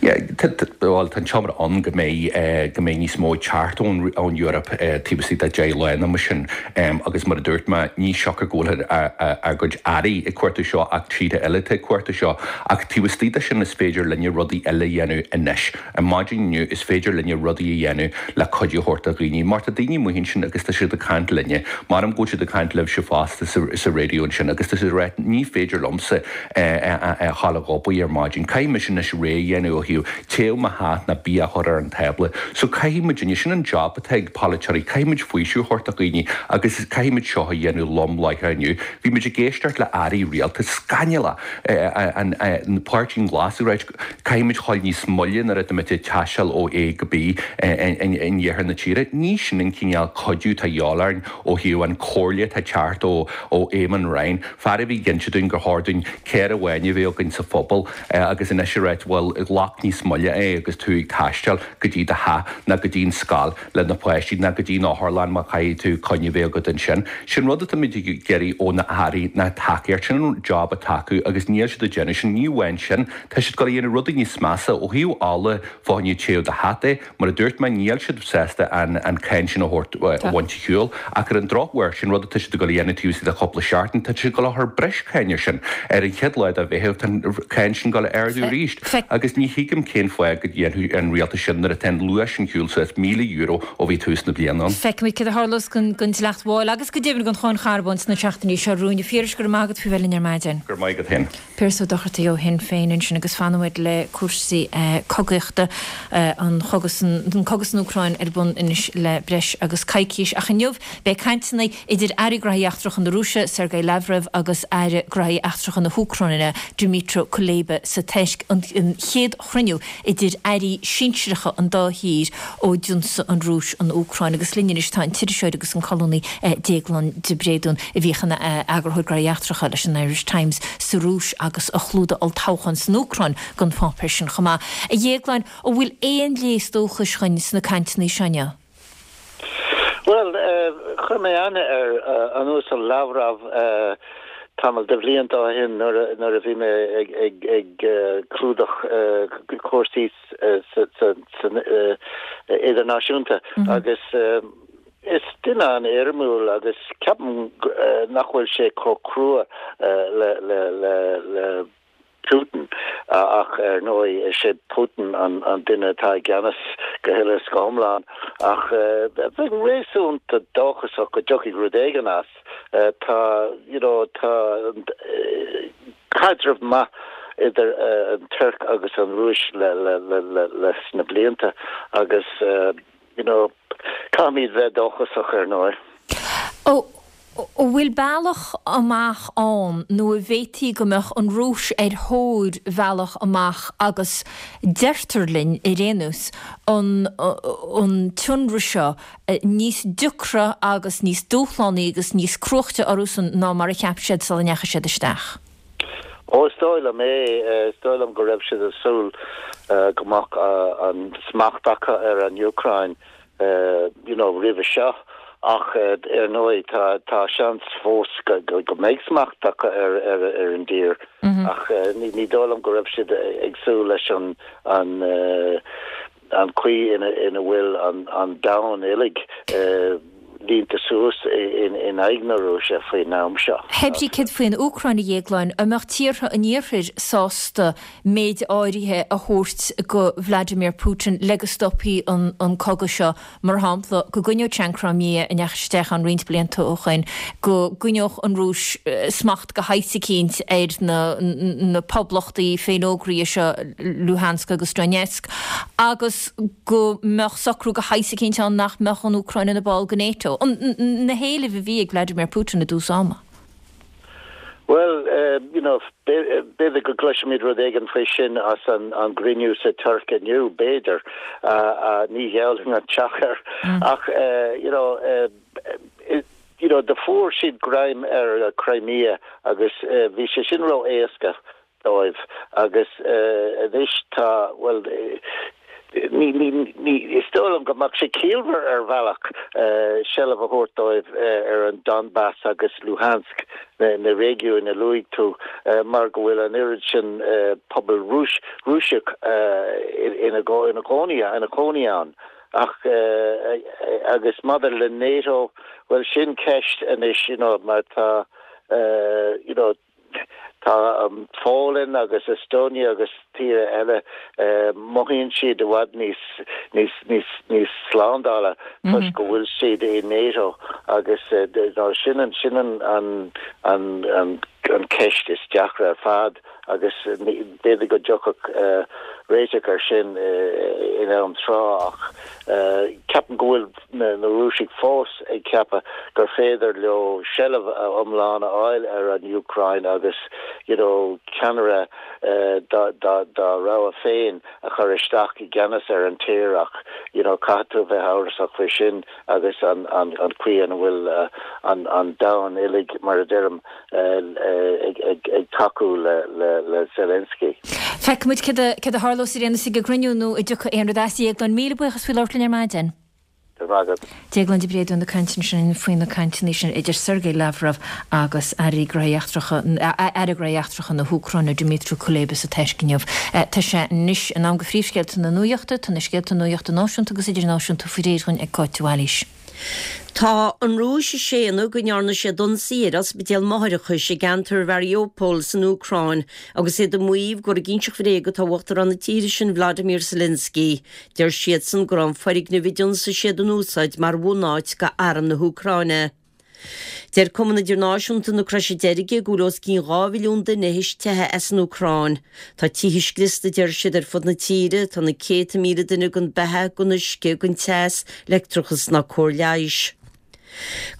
Yeah, bhuel tá an tionchar ann go mbeidh go mbeidh níos mó ag teacht ón ón Eoraip taobh istigh de 10 lá nó mar sin agus mar a dúirt mé ní siocair go bhfuil ár gcuid airí ag cuartú seo ach tíortha eile atá ag cuartú seo ach taobh istigh de sin is féidir linne rudaí eile a dhéanamh anois. Ar maidin inniu, is féidir linne rudaí a dhéanamh le cuidiú a thabhairt do dhaoine. Mar tá daoine amuigh ansin agus tá siad ag caint linne, measaim go bhfuil siad ag caint libhse fosta sa raidió ansin agus tá siad ag rá ní féidir liomsa a ghabháil ag obair ar maidin, caithfidh mise anois rogha a dhéanamh ó thaobh téamh mo theach ná bia a chur ar an tábla. So caithfidh muidinne, sin an job atá ag polaiteoirí, caithfidh muid faoiseamh a thabhairt do dhaoine agus caithfidh muid seo a dhéanamh lom láithreach inniu. Bhí muid ag éisteacht le airí rialtais, scannalach, an Páirtí Glas ag ráit, Caithfidh muid dhul níos moille nuair atá muid ag taisteal ó A go B in iarthar na tíre. Ní sin an cineál cuidiú atá a dhíobháil orainn ó thaobh an comhairle atá ag teacht ó Éamon Ryan, fear a bhí ag inse dúinn gur chóir dúinn carr amháin a bheith againn sa phobal agus anois ag ráit bhuel glac níos moille é agus tú ag taisteal go dtí do theach ná go dtí an scoil. le na páistí ná go dtí an otharlann má chaithfidh tú coinne a bheith agat ansin. Sin rud atá muid ag iarraidh ó na hairí ná tacaíocht. Sin an job atá acu agus níl siad ag déanamh sin. Ní amháin sin, tá siad ag dul a dhéanamh rudaí níos measa ó thaobh ola fá choinne téamh do theach de. Mar a dúirt mé, níl siad sásta an an cáin sin a thabhairt a bhaint ar shiúl. Ach ar an drochuair, sin rud atá siad ag dul a dhéanamh taobh istigh de chúpla seachtain, tá siad ag dul a chur breis cáin ar sin. Ar an chéad lá de Mheitheamh, tá an cáin sin ag dul a ardú arís. Agus ní thuigim cén fáth go ndéanfadh an rialtas sin nuair atá an luas sin shiúl suas €1,000 ó bhí tús na bliana ann. Feicfimid céard a tharlós don dleacht mháil agus go deimhin don cháin charbóin sna seachtainí seo romhainn. A Phiarais, go raibh maith agat faoi bheith linn ar maidin. Go raibh maith agat féin. Piaras Ó Dochartaigh ó Shinn Féin ansin agus fanfaidh muid le cúrsaí cogaíochta, an cogadh san Úcráin ar bun anois le breis agus coicís ach inniu beidh cainteanna idir Aire Gnóthaí Eachtracha na Rúise, Sergei Lavrov agus Aire Gnóthaí Eachtracha na hÚcráine, Dmytro Kuleba sa Tuirc, an chéad chruinniú idir airí sinsearacha an dá thír ó d'ionsaigh an Rúis an Úcráin. Agus linn anois tá an t-iriseoir agus an colúnaí Déaglán de Bréadún, a bhíodh ina eagarthóir gnóthaí eachtracha leis an Irish Times sa Rúis agus a chlúdaigh olltoghchán san Úcráin don pháipéar sin chomh maith. A Dhéagláin, an bhfuil aon léas dóchais chugainn sna cainteanna seo inniu? Bhuel, chuir mé aithne ar an Uasal Lavrov tamall de bhlianta ó shin nuair a bhí mé ag clúdach cúrsaí idirnáisiúnta agus is duine an-éirimiúil agus ceapaim nach bhfuil sé chomh crua le le Putin, ach ar ndóigh is é Putin an duine atá i gceannas go huile is go hiomlán. Ach bheinn réasúnta dóchasach go dtiocfaidh rud éigin as. Tá, you know, tá caidreamh maith idir an Tuirc agus an Rúis leis na blianta agus, you know, caithfimid bheith dóchasach ar ndóigh. Ó. An bhfuil bealach amach ann nó an bhféadfaí go mbeadh an Rúis ar thóir bhealach amach agus deirtear linn ar aon nós an an t-ionradh seo níos deacra agus níos dúshlánaí agus níos cruaichte orthusan ná mar a cheap siad sula ndeachaigh siad isteach? Ó, is dóigh liom é. Is dóigh liom go raibh siad ag súil go mbeadh an smacht acu ar an Úcráin you know roimhe seo ach ar ndóigh tá tá seans fós go go mbeidh smacht acu ar ar ar an dtír ach ní ní dóigh liom go raibh siad ag súil leis an an an chaoi ina ina bhfuil an an domhan uilig línte suas in in aghaidh na Rúise faoin am seo. Hé brí céard faoin Úcráin a Dhéagláin, an mbeadh tíortha an Iarthair sásta méid áirithe a thabhairt go Vladimir Putin le go stopfaí an cogadh seo, mar shampla, go gcoinneodh sé an Crimea a ndeachaigh sé isteach ann roinnt blianta ó shoin, go gcoinneodh an Rúis smacht de shaghas eicínt ar na poblachtaí féinfhógraithe seo, Luhansk agus Donetsk, agus go mbeadh socrú de shaghas eicínt ann nach mbeadh an Úcráin ina ball de NATO. Na héilimh a bhí ag Vladimir Putin i dtús ama. Bhuel, you know, b'fhéidir go gcloisfimid rud éigin faoi sin as an gcruinniú sa Tuirc inniu, b'fhéidir. Ní gheallfainn an teach air. Ach, you know, you know, do fuair siad greim ar Crimea agus bhí sé sin ró-éasca dóibh agus anois tá, bhuel, ní, ní, ní, is dóigh liom go mbeadh sé ciallmhar ar bhealach seilbh a thabhairt dóibh ar an Donbas agus Luhansk, na, na réigiúin a luaigh tú, mar go bhfuil an oiread sin pobal Rúis, Rúiseach ina, ina gcónaí, ina chónaí ann. Ach, agus maidir le NATO, bhuel sin ceist anois, you know, mar tá, you know, Tá an Pholainn agus Estonia agus tíortha eile, mothaíonn siad i bhfad níos, níos, níos, níos slándála toisc go bhfuil siad i NATO agus sin an, sin an, an, an, an, an ceist is deacra ar fad agus b'fhéidir go dtiocfadh réiteach ar sin in am tráth ach ceapaim go bhfuil na Rúisigh fós ag ceapadh gur féidir leo seilbh iomlán a fháil ar an Úcráin agus you know ceannaire dá rogha féin a chur isteach i gceannas ar an tír ach you know caithfidh tú a bheith amhrasach faoi sin agus an chaoi ina bhfuil an domhan uilig mar a deirim ag tacú le Zelensky. Feicfidh muid céard a tharlós ar aon nós ag an gcruinniú nó an dtiocfaidh aon rud as. A Dhéagláin, míle buíochas faoi labhairt linn ar maidin. Go raibh maith agat. Déaglán de Bréadún ag caint ansin faoi na cainteanna sin idir Sergei Lavrov agus Airí Gnóthaí Eachtracha, Aire Gnóthaí Eachtracha na hÚcráine, Dmytro Kuleba sa Tuirc inniu. Tá sé anois in am do phríomhscéalta na nuachta. Tá na scéalta nuachta náisiúnta agus idirnáisiúnta faoi réir dhúinn ag Cáit de Bhailís. Tá an Rúis ag séanadh go ndearna siad ionsaí ar ospidéal máithreachais i gceantar Mhariupol san Úcráin agus iad ag maíomh gur ag inseacht bhréag atá Uachtarán na tíre sin Vladimir Zelensky. Deir siadsan go raibh an foirgneamh a d'ionsaigh siad in úsáid mar bhunáit do arm na hÚcráine. Deir Cumann Idirnáisiúnta na Croise Deirge go bhfuil os cionn 2 mhilliún duine théis teitheadh as an Úcráin. Tá tithe scriosta, deir siad, ar fud na tíre, tá na céadta míle duine gan beatha, gan uisce, gan teas, leictreachas ná cóir leighis.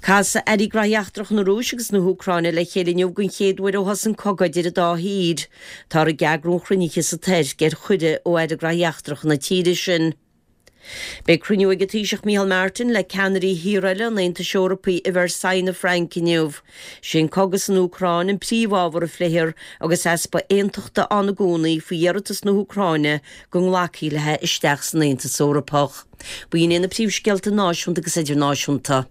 Casfaidh Airí Gnóthaí Eachtracha na Rúise agus na hÚcráine le chéile inniu den chéad uair ó thosaigh an cogadh idir an dá thír. Táthar ag eagrú an chruinnithe sa Tuirc ar chuireadh ó Aire Gnóthaí Eachtracha na tíre sin. Beidh cruinniú ag an Taoiseach Micheál Martin le ceannairí thíortha eile an Aontais Eorpaigh i Versailles na Fraince inniu. Sé an cogadh san Úcráin an príomhábhar a phléifear agus easpa aontachta ann i gcónaí faoi iarratas na hÚcráine go nglacfaí léi isteach san Aontas Eorpach. B'in iad na príomhscéalta náisiúnta agus idirnáisiúnta.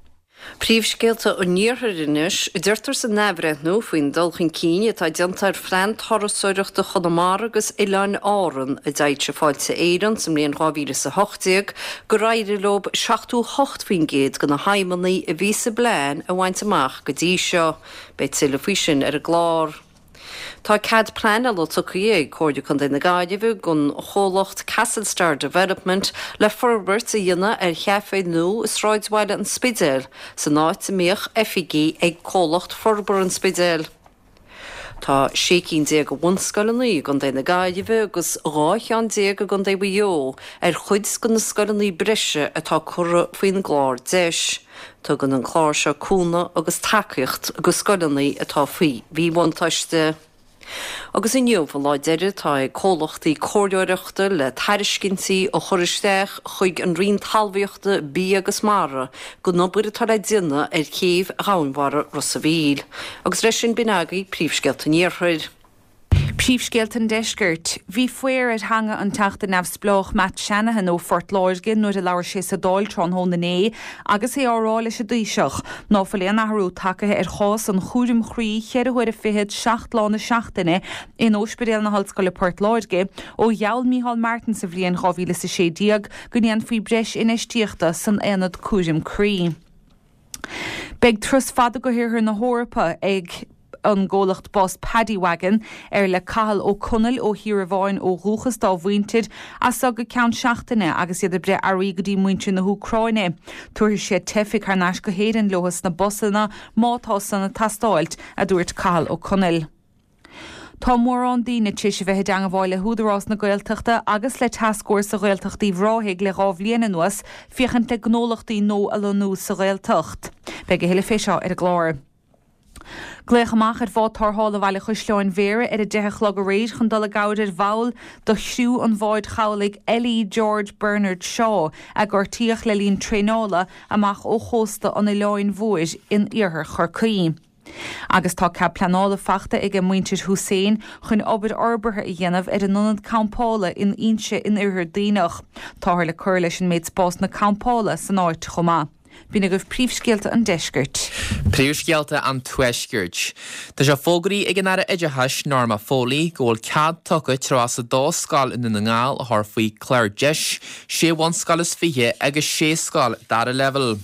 Príomhscéalta an Iarthair anois. Deirtear san athbhreithniú faoin dul chun cinn atá déanta ar Phlean Turasóireachta Chonamara agus Oileáin Árann a d'fhoilsigh Fáilte Éireann sa mbliain 2018 gur éirigh leo 78% de na haidhmeanna a bhí sa bplean a bhaint amach go dtí seo. Beidh tuilleadh faoi sin ar an gclár. Tá cead pleanála tugtha ag Comhairle Contae na Gaillimhe don chomhlacht Castle Star Development le forbairt a dhéanamh ar chaifé nua i sráidbhaile an Spidéil, san áit a mbíodh oifigí ag Comhlacht Forbartha an Spidéil. Tá 16 cinn de bhunscoileanna i gContae na Gaillimhe agus 12 cheann i gContae Mhaigh Eo ar chuid de na scoileanna breise atá curtha faoin gclár DEIS. Tugann an clár seo cúnamh agus tacaíocht go scoileanna atá faoi mhíbhuntáiste. Agus inniu an lá deiridh atá ag comhlachtaí comhairleoireachta le tairiscintí a chur isteach chuig an Roinn Talmhaíochta, Bia agus Mara don obair atá le déanamh ar chéibh dhomhainmhara Ros a' Mhíl. Agus leis sin b'in agaibh príomhscéalta an Iarthair. Príomhscéalta an Deiscirt. Bhí faobhar ar theanga an Teachta Neamhspleách Matt Shanahan ó Phort Láirge nuair a labhair sé sa Dáil tráthnóna inné agus é á rá leis an dTaoiseach ná fuil aon athrú tagtha ar chás an chúraim chroí cheithre huaire fichead 7 lá na seachtaine in Ospidéal na hOllscoile Port Láirge ó gheall Micheál Martin sa bhliain 2016 go ndéanfaí breis infheistíochta san aonad cúraim croí. Beidh turas fada go hIarthar na hEorpa ag an gcomhlacht bus Paddy Wagon, ar le Cathal Ó Conaill ó Thír Amháin ó dhúchas dá mhuintir, as seo go ceann seachtaine agus iad ag breith earraí go dtí muintir na hÚcráine. Tabharfaidh siad teifigh thar n-ais go hÉirinn leo sna busanna má tá san ag teastáilt, a dúirt Cathal Ó Conaill. Tá mórán daoine tar éis a bheith i dteangmháil le hÚdarás na Gaeltachta agus le Tascfhórsa Ghaeltacht Uíbh Ráthaigh le 2 bhliain anuas féachaint le gnólachtaí nua a lonnú sa Ghaeltacht. Beidh a thuilleadh fé seo ar an gclár. Glaodh amach ar bhád tarrthála Bhaile Chaisleáin Bhéarra ar a 10 a chlog aréir chun dul i gcabhair ar bhall de chriú an bháid chabhlaigh LE George Bernard Shaw a gortaíodh le linn traenála amach ó chósta an Oileáin Mhóir in iarthar Chorcaí. Agus tá cead pleanála fachta aige muintir Hussain chun obair fhorbartha a dhéanamh ar a n-ionad campála in Inse in Oirthear Duibhneach. Táthar le cur leis an méid spásanna campála san áit chomh maith. B'in agaibh príomhscéalta an deiscirt. Príomhscéalta an Tuaiscirt. Tá sé fógraithe ag an Aire Oideachais Norma Foley go bhfuil cead tugtha 32 scoil i nDún na nGall a chur faoi chlár deis, sé bhunscoil is 20 agus sé scoil dara leibhéal.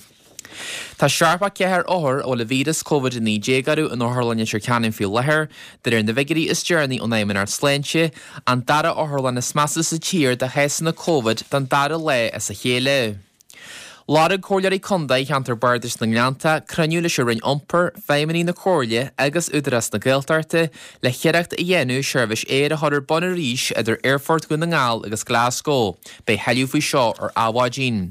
Tá 74 othar a bhfuil an víreas Covid-19 orthu in Otharlann Leitir Ceanainn faoi láthair, de réir na bhfigiúirí is deireanaí ón Fheidhmeannacht Sláinte, an dara otharlann is measa sa tír do chásanna Covid don dara lá as a chéile. Lorg Comhairleoirí Contae Cheantar Bardais na nGleannta cruinniú leis an Roinn Iompair, feidhmeannaigh na Comhairle agus Údarás na Gaeltachta le hiarracht a dhéanamh seirbhís aeir a chur ar bun arís idir Aerfort Dhún na nGall agus Glasgow. Beidh tuilleadh faoi seo ar Adhmhaidin.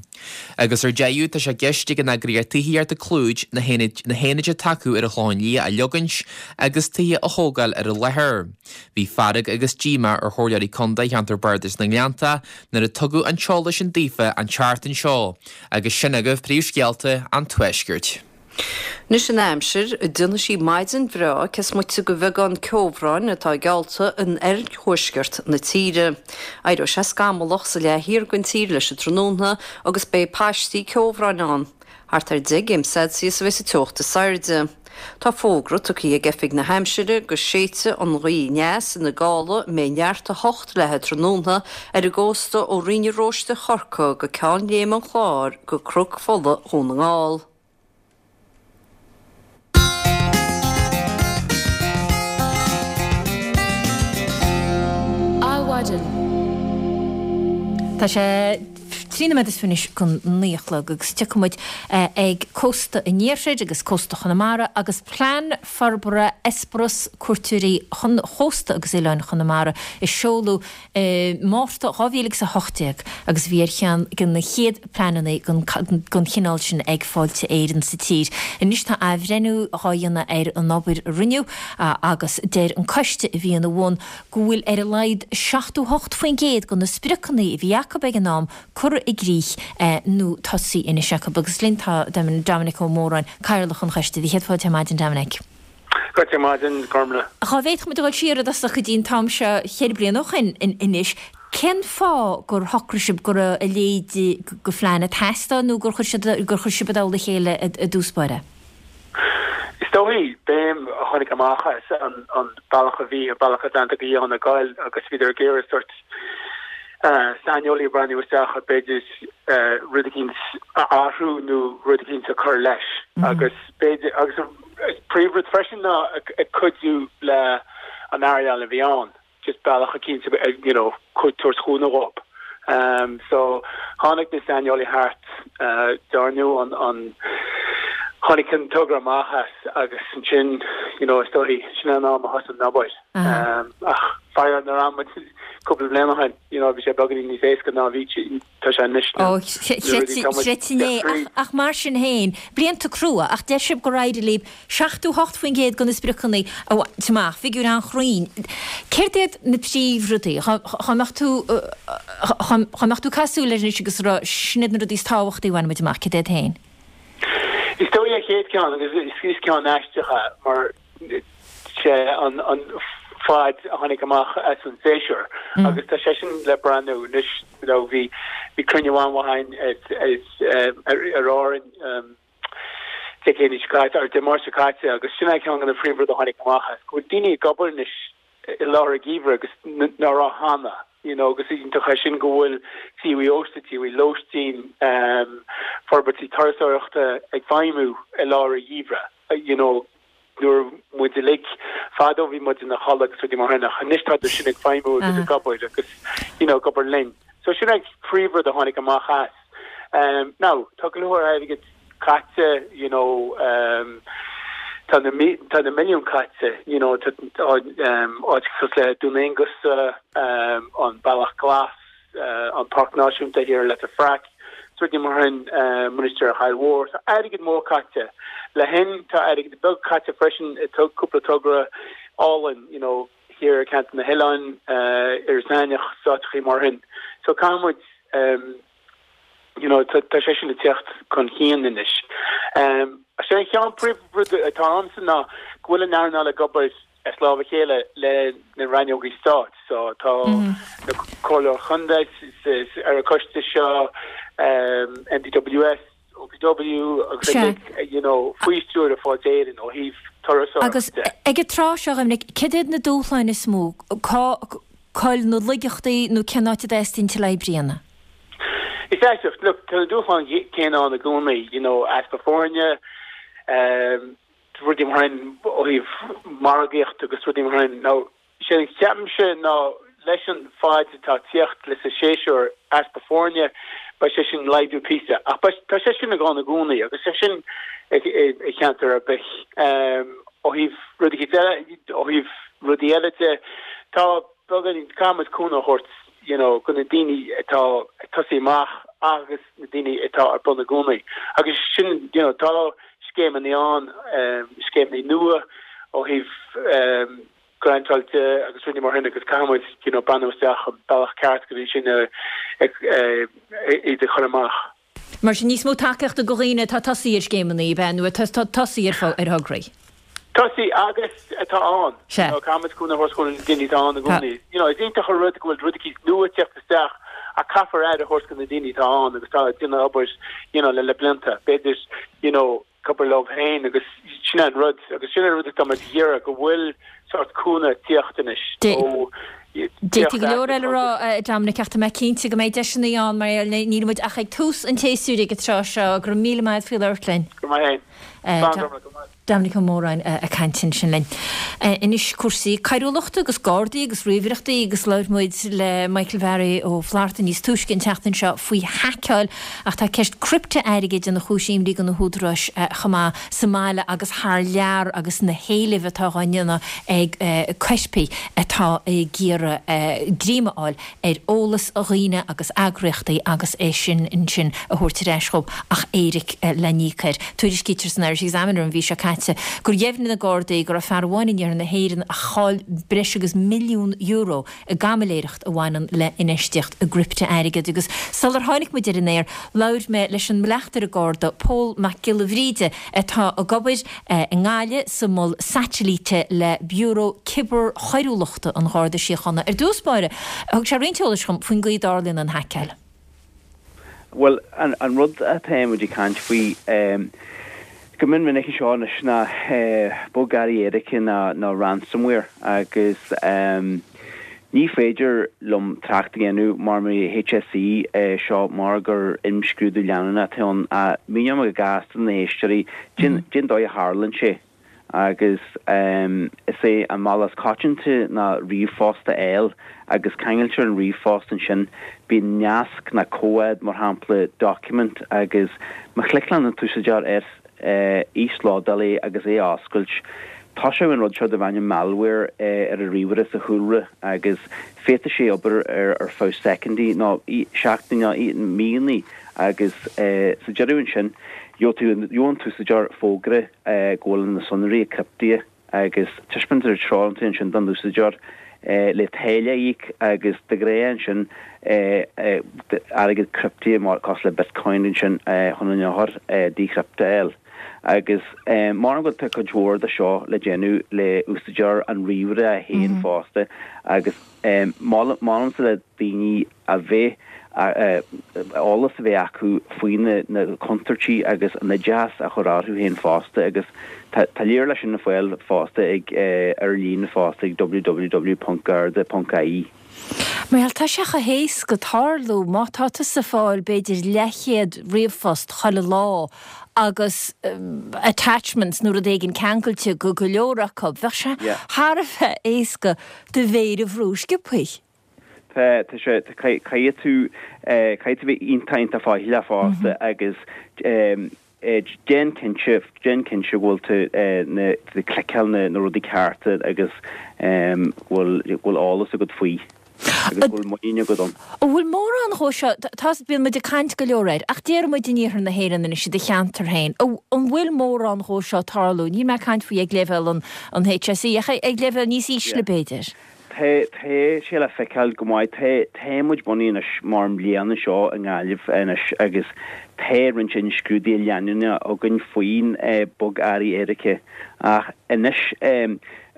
Agus ar deireadh, tá sé i gceist ag an eagraíocht tithíochta Clúid na haonaid atá acu ar an Chlochán Liath a leogaint agus tithe a thógáil ar an láthair. Bhí fearg agus díomá ar Chomhairleoirí Contae Cheantar Bardais na nGleannta nuair a tugadh an t-eolas sin daofa an tseachtain seo agus sin agaibh príomhscéalta an Tuaiscirt. Anois an aimsir, déanfaidh sí maidin bhreá cés moite de bheagán ceobhráin atá geallta in oirthuaisceart na tíre. Éireoidh sé scamallach sa leath thiar den tír leis an tráthnóna agus beidh paistí ceobhráin ann. Thart ar 10 gcéim Celsius a bheidh sa teocht is airde. Tá fógra tugtha ag Oifig na hAimsire go séidfidh an ghaoth aneas ina gála a mbeidh neart 8 leath an tráthnóna ar an gcósta ó Rinn an Róiste Chorcaí go Ceann Léime an Chláir go Cnoc Fola Dhún na nGall. Adhmhaidin. Tá sé 3 nóiméad is 20 anois chun 9 a chlog agus tiocfaidh muid ag cósta an iarthair agus cósta Chonamara agus plean forbartha eispéireas cuairteoirí chósta agus oileáin Chonamara a seoladh i Márta 2018 agus bhí ar cheann de na chéad pleananna den chineál sin ag Fáilte Éireann sa tír. Anois tá athbhreithniú dhá dhéanamh ar an obair a rinneadh agus deir an coiste a bhí ina bhun go bhfuil ar a laghad 78% de na spriocanna a bhí acu ag an am curtha i gcrích nó tosaithe anois acu. Agus linn tá Dominic Ó Móráin, Cathaoirleach an choiste. Céad fáilte ar maidin Dominic. Fáilte ar maidin, Gormlaith. Dhá bhféadfadh muid a dhul siar i dtosach go dtí an t-am seo cheithre bliana ó shin anois, cén fáth gur shocraigh sibh go raibh a leithéid de phlean ag teastáil nó gur chuir siad, gur chuir sibh i dtoll a chéile i dtús báire? Is dóigh, béim a tháinig amach as an bealach a bhí an Bealach Atlantach a Fhiáin ag goil agus bhíodar ag iarraidh sort saineolaí a breathnú isteach ar b'fhéidir rud eicínt a athrú nó rud eicínt a chur leis agus b'fhéidir agus an príomhrud freisin ná ag cuidiú le an earnáil a bhí ann, just bealach eicínt you know tabhairt cúnamh dhób. So tháinig na saineolaithe thart, dearnadh an an. Tháinig an togra amach as agus ansin, you know, is dóichí, sin an am a thosaigh an obair. Ach faraor nuair a bhí muid cúpla bliain ó shin, you know, bhí sé beagáinín níos éasca ná bhí, tá sé anois Ó, chreidfinn é. Ach mar sin féin, blianta crua, ach deir sibh gur éirigh libh 78% de na spriocanna a bhaint amach, figiúr an-chruinn. Céard iad na príomhrudaí? Dhá mbeadh tú, dhá mbeadh tú ag caitheamh súil air anois agus ag rá, sin iad na rudaí is tábhachtaí a bhain muid amach, céard iad féin? Is dóigh an chéad ceann, agus is ceann aisteach é, mar sé an fad a tháinig amach as an séasúr agus tá sé sin le breathnú anois, you know, bhí bhí cruinniú an-mhaith againn ar Árainn Dé Céadaoin seo caite, or Dé Máirt seo caite agus sin é ceann de na príomhrudaí a tháinig amach as, go bhfuil daoine ag obair anois i lár an gheimhridh agus ná raibh cheana, you know, agus iontach é sin go bhfuil tithe ósta, tithe lóistín, forbairtí turasóireachta ag feidhmiú i lár an gheimhridh, you know, nuair muid uilig fadó bhí muid ina chodladh agus rudaí mar sin ach anois tá sin ag feidhmiú agus ag obair agus, you know, ag obair linn. So sin é príomhrud a tháinig amach as. Now, tá go leor airgid caite, you know, tá na tá na milliúin caite, you know, tá áit cosúil le Dún Aonghasa, an Bealach Glas, an Páirc Náisiúnta thiar i Leitir Fraic, is rudaí mar sin, Mainistir Aill Mhór, tá airgead mór caite. Le hin, tá airgead beag caite freisin i cúpla togra álainn, you know, thiar i gceantar na hOileáin, Iorras Aithneach, is áiteachaí mar sin. So caithfidh muid, you know, tá sé sin ag teacht chun cinn anois. Is é an ceann príomhrud atá a'msa ná go bhfuil an earnáil ag obair as lámh a chéile le na rannógaí stáit. So tá na comhairleoirí chontae ar an choiste seo, MPWS, OPW agus uilig, you know, faoi stiúir Fáilte Éireann ó thaobh turasóireachta Agus ag an tráth seo, Dhoiminic, céard iad na dúshláin is mó? Cá bhfuil na laigeachtaí nó cén áit a dteastaíonn tuilleadh oibre a dhéanamh? Is aisteach, look, tá na dúshláin céanna ann i gcónaí, you know, easpa foirne, rudaí mar sin ó thaobh margaíocht agus rudaí mar sin. Now, Sé a cheapaimse ná leis an faid atá ag tíocht leis an séasúr, easpa foirne, beidh sé sin laghdú píosa. Ach beidh, tá sé sin ann i gcónaí agus sé sin i cheantar ar bith. Ó thaobh rudaí eile, ó thaobh rudaí eile de, tá beagáinín, caithfidh muid cúnamh a thabhairt you know go na daoine atá ag tosaí amach agus na daoine atá ar bun i gcónaí. Agus sin, you know, tá scéimeanna ann, scéimeanna nua ó thaobh grantáil de agus rudaí mar sin agus caithfidh muid you know breathnú isteach an bealach ceart go dtí sin iad a chur amach. Mar sin níos mó tacaíochta go dhaoine atá ag tosaí ar scéimeanna, ab ea, nó atá ag tosaí ar thograí? Tosaí agus atá ann. Sea. You know, caithfidh muid cúnamh a thabhairt do na daoine atá ann i gcónaí. You know, is iontach an rud go bhfuil rud eicínt nua ag teacht isteach ach caithfear aire a thabhairt do na daoine atá ann agus atá ag déanamh obair you know le le blianta. B'fhéidir you know ag obair leo féin agus sin an rud agus sin an rud atá muid ag iarraidh go bhfuil sórt cúnamh ag tíocht anois ó D'fhéadfaí go leor eile a rá, a Dominic, ach tá mé cinnte go mbeidh deiseanna ann mar níl muid ach ag tús an tséasúir ag an tráth seo. Go raibh míle maith agat faoi labhairt linn. Go raibh maith agat. Slán go raibh. Dominic Ó Móráin ag caint ansin linn. Anois cúrsaí coiriúlachta agus Gardaí agus ríomhaireachtaí agus labhair muid le Michael Bharry Ó Flatharta níos túisce an tseachtain seo faoi haiceáil ach tá ceist criptea-airgid ina chúis imní do na húdaráis chomh maith sa mbaile agus thar lear agus na héilimh atá á ndéanamh ag coirpigh atá ag iarraidh greim a fháil ar eolas dhaoine agus eagraíochtaí agus é sin ansin a thabhairt ar ais dhóibh ach éiric le n-íoc air. Tuairiscítear san Irish Examiner an mhí seo caite gur dheimhnigh na Gardaí go raibh fear amháin in iarthar na hÉireann a chaill breis agus €1,000,000 i gcaimiléireacht a bhaineann le infheistíocht i gcriptea-airgead agus sular tháinig muid ar an aer labhair mé leis an mbleachtaire Garda Pól Mac Giolla Bhríde atá ag obair i nGaillimh sa Mhol Saitilíte le Biúró Cibearchoiriúlachta an Gharda Síochána. Ar dtús báire, thug sé roinnt eolais dhom faoin gcaoi a dtarlaíonn an haiceáil. Bhuel, an rud atá muid ag caint faoi go mion minic anseo anois ná bogearraí éirice nó ransomware agus ní féidir liom trácht a dhéanamh mar mo HSE seo mar gur imscrúdú leanúnach atá ann ach míneoidh mé go gasta do na héisteoirí cén dóigh a tharlaíonn sé. Agus is é an bealach is coitianta ná ríomhphost a fháil agus ceangailtear an ríomhphost ansin, bíonn nasc nó comhad, mar shampla document, agus má chliceálann an t-úsáideoir air. Íoslódáil é agus é a oscailt. Toiseoidh an rud seo darb ainm malware ar an ríomhaire sa chúlra agus féadfaidh sé obair ar feadh soicindí nó seachtainí nó míonna agus sa deireadh ansin gheobhaidh tú an t-úsáideoir fógra go bhfuil na sonraí criptithe agus taispeántar treoir ansin don úsáideoir le táille a íoc agus de ghnáth ansin airgead criptithe mar cosúil le bitcoin ansin chun an eochair decrypt a fháil. Agus mar go tá cuid mhór de seo le déanamh le úsáideoir an ríomhaire féin fosta agus molaimse le daoine a bheith, eolas a bheith acu faoi na contúirtí agus an oideachas a chur orthu féin fosta agus tá tá lear leis sin le fáil fosta ag ar líne fosta ag www.garda.ie. Bhuel, tá sé chomh héasca tarlú má tá tusa ag fáil b'fhéidir leathchéad ríomhphost chuile lá agus attachments nó rud éigin ceangailte go go leor acu, bheadh sé thar a bheith éasca do mhéir a bhrú sciobthaí. Tá, tá sé, tá, caithfidh tú, caithfidh tú bheith iontach, iontach faichilleach fosta agus déan cinnte, déan cinnte go bhfuil tú na, ag cliceáil na, na rudaí cearta agus go bhfuil, go bhfuil eolas agat faoi agus go bhfuil muinín agat ann. An bhfuil mórán dhó seo, tá, bíonn muid ag caint go leor air, ach déarfaidh muid in iarthar na hÉireann anois i do cheantar féin, an bhfuil mórán dhó seo ag tarlú? Níl mé ag caint faoi ag leibhéal an, an HSE ach ag leibhéal níos ísle b'fhéidir. Tá, tá sé le feiceáil go maith. Tá, tá muid bunaithe anois mar mbliana seo i nGaillimh anois agus tá roinnt imscrúduithe leanúnacha againn faoin bogearraí éirice. Ach anois,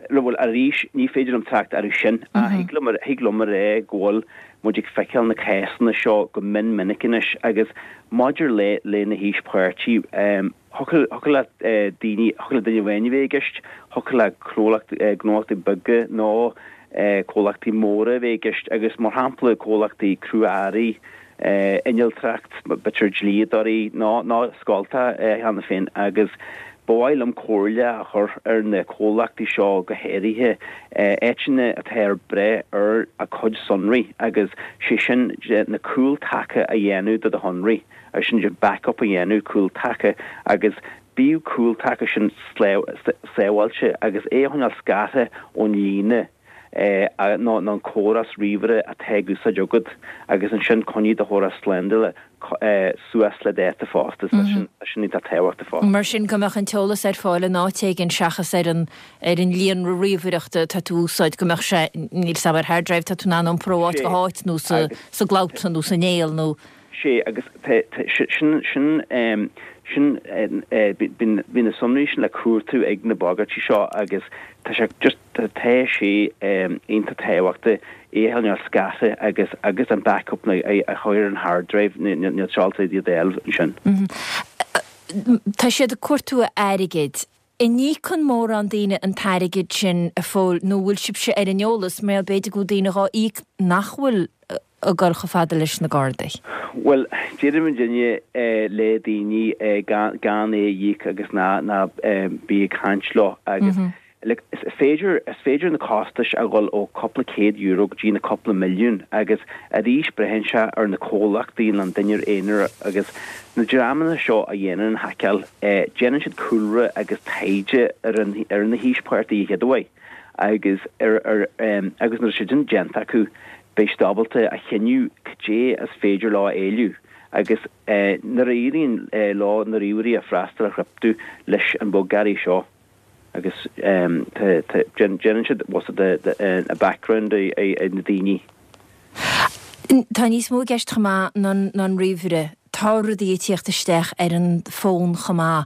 bhuel, arís, ní féidir liom trácht orthu sin ach thig liom, thig liom a rá go bhfuil muid ag feiceáil na cásanna seo go mion minic anois agus maidir le, le na haoispháirtí, Thiocfadh le daoine, thiocfadh le duine amháin a bheith i gceist, thiocfadh le gnólachtaí beaga nó comhlachtaí móra a bheith i gceist agus mar shampla comhlachtaí crua-earraí, innealtóireacht, b'fhéidir dlíodóirí nó nó scoltacha cheana féin agus ba mhaith liom comhairle a chur ar na comhlachtaí seo go háirithe, áiteanna atá ag brath ar a gcuid sonraí agus sé sin na cúltaca a dhéanamh de do shonraí. Agus sin de backup a dhéanamh, cúltaca, agus bíodh cúltaca sin sábháilte agus é a choinneáil scartha ón líne nó an córas ríomhaire atá ag úsáid agat agus ansin coinnigh do chóras slándála suas le dáta fosta. Tá sin iontach tábhachtach fosta. Mar sin go mbeadh an t-eolas ar fáil in áit éigin seachas ar an ar an líonra ríomhaireachta atá tú a úsáid, go mbeadh sé, níl 's a'm, ar hard drive atá tú in ann a iompar ó áit go háit nó sa gcloud nó san néal nó. Sé agus sin, sin, sin, bíonn na sonraí sin le cuartú ag na bagairtí seo agus tá sé just, tá sé iontach tábhachtach é a choinneáil scartha agus, agus an backup a chur ar an hard drive, níl sé ábalta iad a fháil ansin. Tá siad ag cuartú airgid. An íocann mórán daoine an t-airgead sin a Phóil nó bhfuil sibhse ar an eolas mar b'fhéidir go bhfuil daoine dhá íoc nach bhfuil ag dul chomh fada leis na Gardaí? Bhuel, deireann muidinne le daoine gan é a íoc agus ná ná bí ag caint leo agus like is féidir is féidir na costais a dhul ó cúpla céad euro go dtí na cúpla milliún agus arís braitheann sé ar na comhlachtaí nó an duine aonair agus na dreamanna seo a dhéanann an haiceáil déanann siad cúlra agus taighde ar an ar na híospartaigh a chéaduair agus ar ar agus nuair atá sé sin déanta acu beidh siad ábalta a chinneadh cad é is féidir leo a éileamh agus nuair a éiríonn leo na ríomhairí a freastal a chriptiú leis an bogearraí seo. agus déanann siad what's it the background ar na daoine. Tá níos mó i gceist chomh maith ná an ríomhaire. Tá rudaí ag tíocht isteach ar an bhfón chomh maith.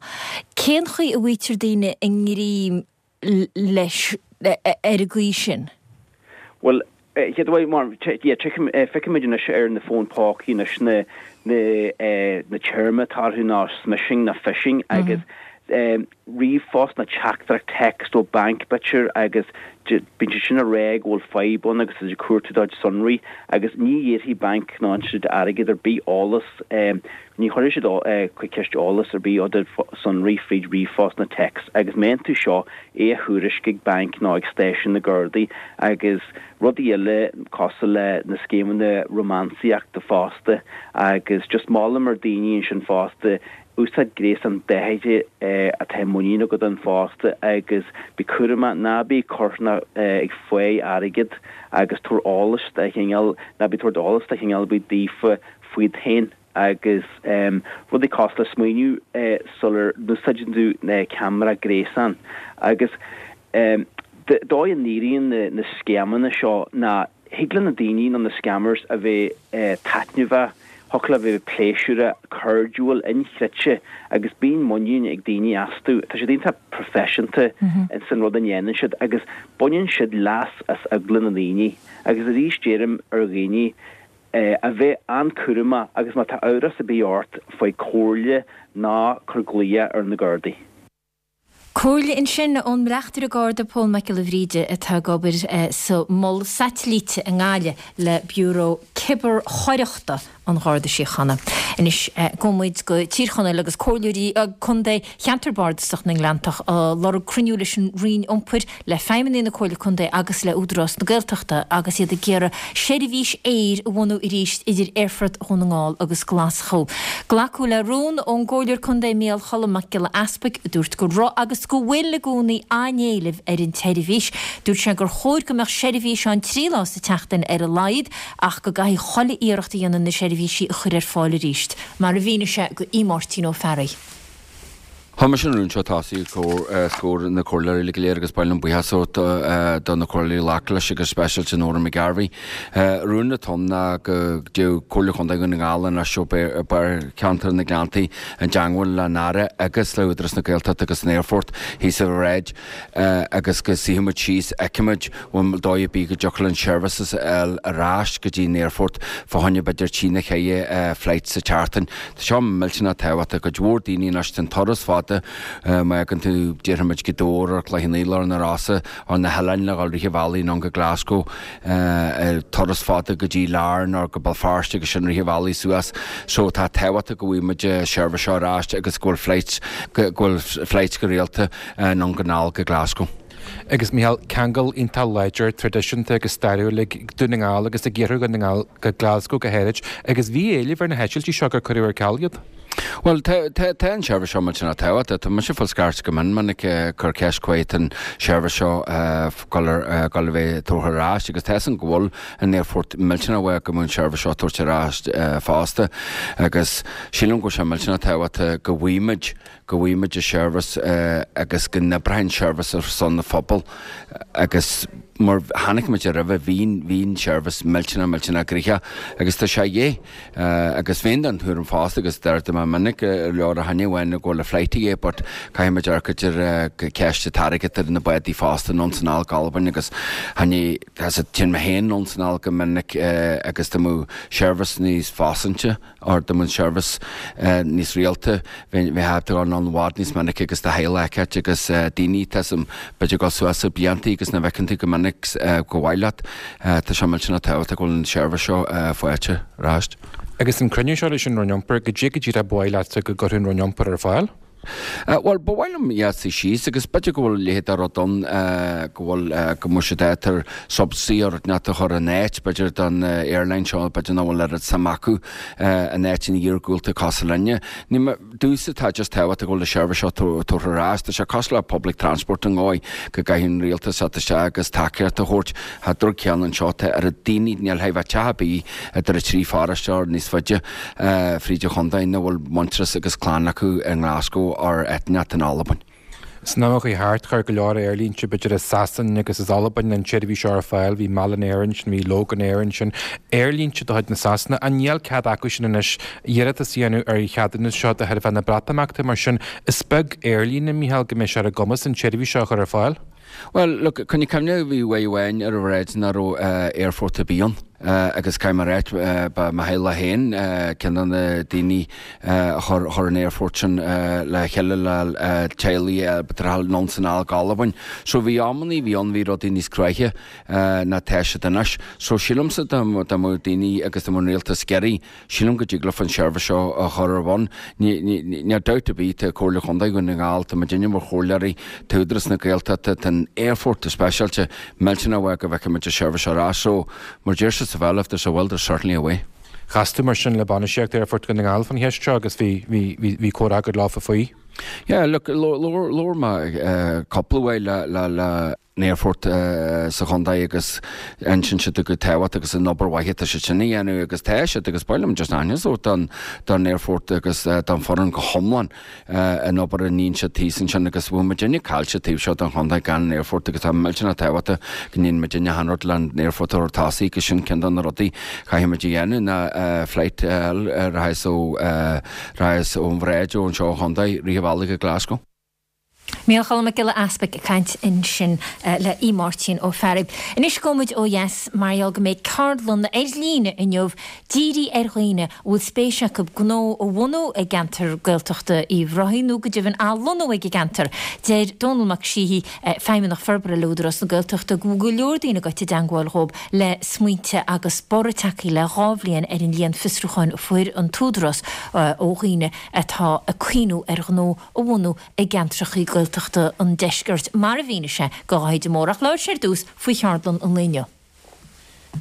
Cén chaoi a bhfaightear daoine i ngreim leis ar an gcaoi sin? Bhuel, chéad uair, mar, yeah, feicimid anois ar na fóin pócaí anois na, na, na téarmaí atá orthu ná smishing ná phishing agus ríomhphost nó teachtaireacht text ó banc b'fhéidir agus bíonn siad sin ag rá go bhfuil fadhb ann agus tá siad ag cuartú do chuid sonraí agus ní iarrfaidh banc ná institiúid airgid ar bith eolas, ní chuirfidh siad chuig ceist eolas ar bith ó do sonraí fríd ríomhphost nó text agus má fhaigheann tú seo é a thuairisc ag banc nó ag stáisiún na Gardaí agus rudaí eile cosúil le na scéimeanna rómánsaíochta fosta agus just molaim ar daoine ansin fosta. Úsáid gréasán dothuigthe atá muinín agat ann fosta agus bí cúramach, ná bí ag cur ná ag fáil airgead agus tabhair eolas de chineál, ná bí ag tabhairt eolas de chineál ar bith daofa fút féin agus rudaí cosúil le smaoineamh sular n-úsáideann tú ceamara gréasáin agus dóigh a n-éiríonn na scéimeanna seo ná Thig le na daoine nó na scammers a bheith taitneamhach, thiocfadh leo a bheith pléisiúrtha, cairdiúil, inchreidte agus bíonn muinín ag daoine astu. Tá siad iontach proifisiúnta ins an rud a ndéanann siad agus baineann siad leas as eagla na ndaoine. Agus arís deirim ar dhaoine a bheith an-cúramach agus má tá amhras ar bith ort faigh comhairle ná cuir glaoch ar na Gardaí. Comhairle ansin ón mBleachtaire Garda Pól Mac Giolla Bhríde atá ag obair sa Mol Saitilíte i nGaillimh le Biúró Cibearchoireachta an Gharda Síochána. Anois gabhfaidh muid go Tír Chonaill agus comhairleoirí contae Cheantar Bardasach na nGleanntach ag lorg cruinniú leis an Roinn Iompair, le feidhmeannaigh na Comhairle Contae agus le Údarás na Gaeltachta agus iad ag iarraidh seirbhís aeir a bhunú arís idir Aerfort Dhún na nGall agus Glaschú. Glacadh le rún ón gComhairleoir Contae Mícheál Cholm Mac Giolla Easpaig a dúirt go raibh agus go bhfuil i gcónaí an-éileamh ar an tseirbhís. Dúirt sé gur chóir go mbeadh seirbhís ann 3 lá sa tseachtain ar a laghad ach go gcaithfidh chuile iarracht a dhéanamh na seirbhísí a chur ar fáil arís, mar a mhínigh sé do Mháirtín Ó Fearraigh. Chuir mise an rún seo tosaigh os comhair na comhairleoirí uilig go léir agus ba mhaith liom buíochas a thabhairt do na comhairleoirí a ghlac leis agus speisialta Nóra McGarvey. Rún atá ann ná go dtéadh Comhairle Chontae Dhún na nGall anois ó Cheantar na nGleanntaí i dteangmháil leis an Aire agus le Údarás na Gaeltachta agus an Aerfort thíos sa bhráid agus go suífidh muid síos, fheicfimid bhfuil dóigh ar bith go dtiocfadh linn seirbhíses a fháil ar ais go dtí an aerfort fá choinne b'fhéidir trí nó cheithre flight sa tseachtain. Tá seo millteanach tábhachtach. Cuid mhór daoine anois, tá an turas fada, má fhágann tú, déarfaidh muid, Gaoth Dobhair or Cloich Cheann Fhaola or na Rosa or na hoileáin le dhul rith an bhealaigh anonn go Glasgow, turas fada go dtí Larne or go Béal Feirste agus sin rith an bhealaigh suas. So tá tábhachtach go bhfaighidh muid seirbhís seo ar ais agus go bhfuil flights, go bhfuil flights go rialta anonn go anall go Glasgow. Agus Mícheál, ceangal iontach láidir, traidisiúnta agus stairiúil ag Dún na nGall agus ag Iarthar Dhún na nGall go Glasgow go háirid, agus bhí éileamh ar na heitiltí seo gur cuireadh ar ceal iad. Bhuel, tá, tá, tá an seirbhís seo millteanach tábhachtach. Tá mise ag fáil scairt go mion minic ag cur ceist cá fhad atá an seirbhís seo dul ar, dul a bheith tabhartha ar ais agus tá fhios agam go bhfuil an aerfort millteanach uaidh go mbeadh an seirbhís seo tabhairt ar ais fosta agus sílim go bhfuil sé millteanach tábhachtach go bhfaighimid go bhfaighimid an seirbhís agus go n-oibreoidh an seirbhís ar son na phobal agus mar chonaic muid roimhe bhí bhí an seirbhís millteanach millteanach gnoitheach agus tá sé a dhíth agus bheinn den tuairim fosta agus deir mé minic leor a thaitneamh amháin go bhfuil a flight a dhíth but caithfidh muid amharc ar ceist an t-airgead ar na bádaí fosta anonn 's anall go Albain agus thaitnigh téann mé féin anonn 's anall go minic agus dá mbeadh seirbhís níos fosante or dá mbeadh an seirbhís níos rialta, bheifeá ag dul anonn i bhfad níos minice agus do theaghlach a fheiceáilt agus daoine, tá 'fhios a'm, b'fhéidir ag dul suas le blianta agus nach bhfeiceann tú go minic go mhaith leat. Tá sé millteanach tábhachtach go bhfuil an seirbhís seo faighte ar ais. Agus an cruinniú seo leis an Roinn Iompair, goidé go díreach ba mhaith leatsa go gcuirfeadh an Roinn Iompair ar fáil? Bhuel, ba mhaith liom iad suí síos agus b'fhéidir go bhfuil a leithéid de rud ann, go bhfuil, go mbeadh siad ábalta subsidy or rud inteacht a chur in áit, b'fhéidir don airline seo, b'fhéidir nach bhfuil oiread suim acu in áiteanna iargúlta cosúil linne. Ní mé, domhsa tá just tábhachtach go bhfuil an seirbhís seo tabhartha ar ais. Tá sé cosúil le public transport an dhóigh go gcaithfidh an rialtas teacht isteach agus tacaíocht a thabhairt. Tá drug céanna anseo, tá oiread daoine, níl chóir a bheith teach ar bith idir an trí pharóiste or níos faide, fríd an chontae nach bhfuil muintearas agus clann acu i nGlasgow or áit inteacht in Albain. San am a chuaigh thart, chuir go leor aerlínte, b'fhéidir as Sasain agus as Albain, an tseirbhís seo ar fáil. Bhí Malin Air ansin, bhí Loganair ansin, aerlínte de chuid na Sasana. Ach níl cead acu sin anois iarratas a dhéanamh ar an cheadúnas seo de thairbhe na Breatimeachta. Mar sin, is beag aerlíne, Mícheál, go mbeidh sé ar a gcumas an tseirbhís seo a chur ar fáil. Bhuel, look, coinnigh cuimhne, bhí uair amháin ar an bhráid nach raibh aerfort ar bith ann agus caithfidh mé a ráit, ba mo theaghlach féin ceann de na daoine a chuir chuir an aerfort sin le chéile le teaghlaigh b'fhéidir a dhul anonn 's anall go Albain. So bhí amannaí a bhí ann, bhí rudaí níos cruaidhe ná tá siad anois. So sílimse dá mbeadh daoine agus dá mbeadh an rialtas ag iarraidh, Sílim go dtig leofa an seirbhís seo a chur ar bun. Níl dabht ar bith, tá Comhairle Chontae Dhún na nGall, tá muidinne mar chomhairleoirí, tá Údarás na Gaeltachta, tá an aerfort go speisialta millteanach uaidh go bhfeicfidh muid an seirbhís seo ar ais. So, mar deir siad sa bheal, if there's a will, there's certainly a way. Chas tú mar sin le bainistíocht Aerfort Dhún na nGall fán cheist seo agus bhí, bhí, bhí, bhí comhrá agat leofa faoi? Yeah, look, labhair mé cúpla uair le, le, le an aerfort sa chontae agus insíonn siad chomh tábhachtach agus an obair mhaith atá siad sin a dhéanamh agus tá siad agus ba mhaith liom just aitheantas a thabhairt don don aerfort agus don foireann go hiomlán an obair a níonn siad thíos ansin agus bheadh muidinne caillte taobh seo den chontae gan an aerfort agus tá millteanach tábhachtach go ndéanann muidinne achan rud le an aerfort a thabhairt tosaigh agus sin ceann de na rudaí chaithfidh muid a dhéanamh ná flight a fháil a rachas ó rachas ón Bhráid ó anseo an chontae rith an bhealaigh go Glasgow. Micheál Cholm Mac Giolla Easpaig ag caint ansin le Aodh Máirtín Ó Fearraigh. Anois gabhfaidh muid ó dheas mar gheall go mbeidh ceardlann ar líne inniu dírithe ar dhaoine a bhfuil spéis acu gnó a bhunú i gceantar Gaeltachta Uíbh Ráthaigh nó go deimhin athlonnú ag an gceantar. Deir Dónall Mac Síthigh, Feidhmeannach Forbartha le Údarás na Gaeltachta go bhfuil go leor daoine ag goil i dteangmháil dhóibh le smaointe agus borradh tagtha le 2 bhliain ar an líon fiosrúcháin a fuair an tÚdarás ó dhaoine atá ag cuimhniú ar ghnó a bhunú i gceantrachaí Gaeltachta an deiscirt, mar a mhínigh sé do Dháithí de Mórdha. Ach labhair sé ar dtús faoi cheardlann an lae inniu.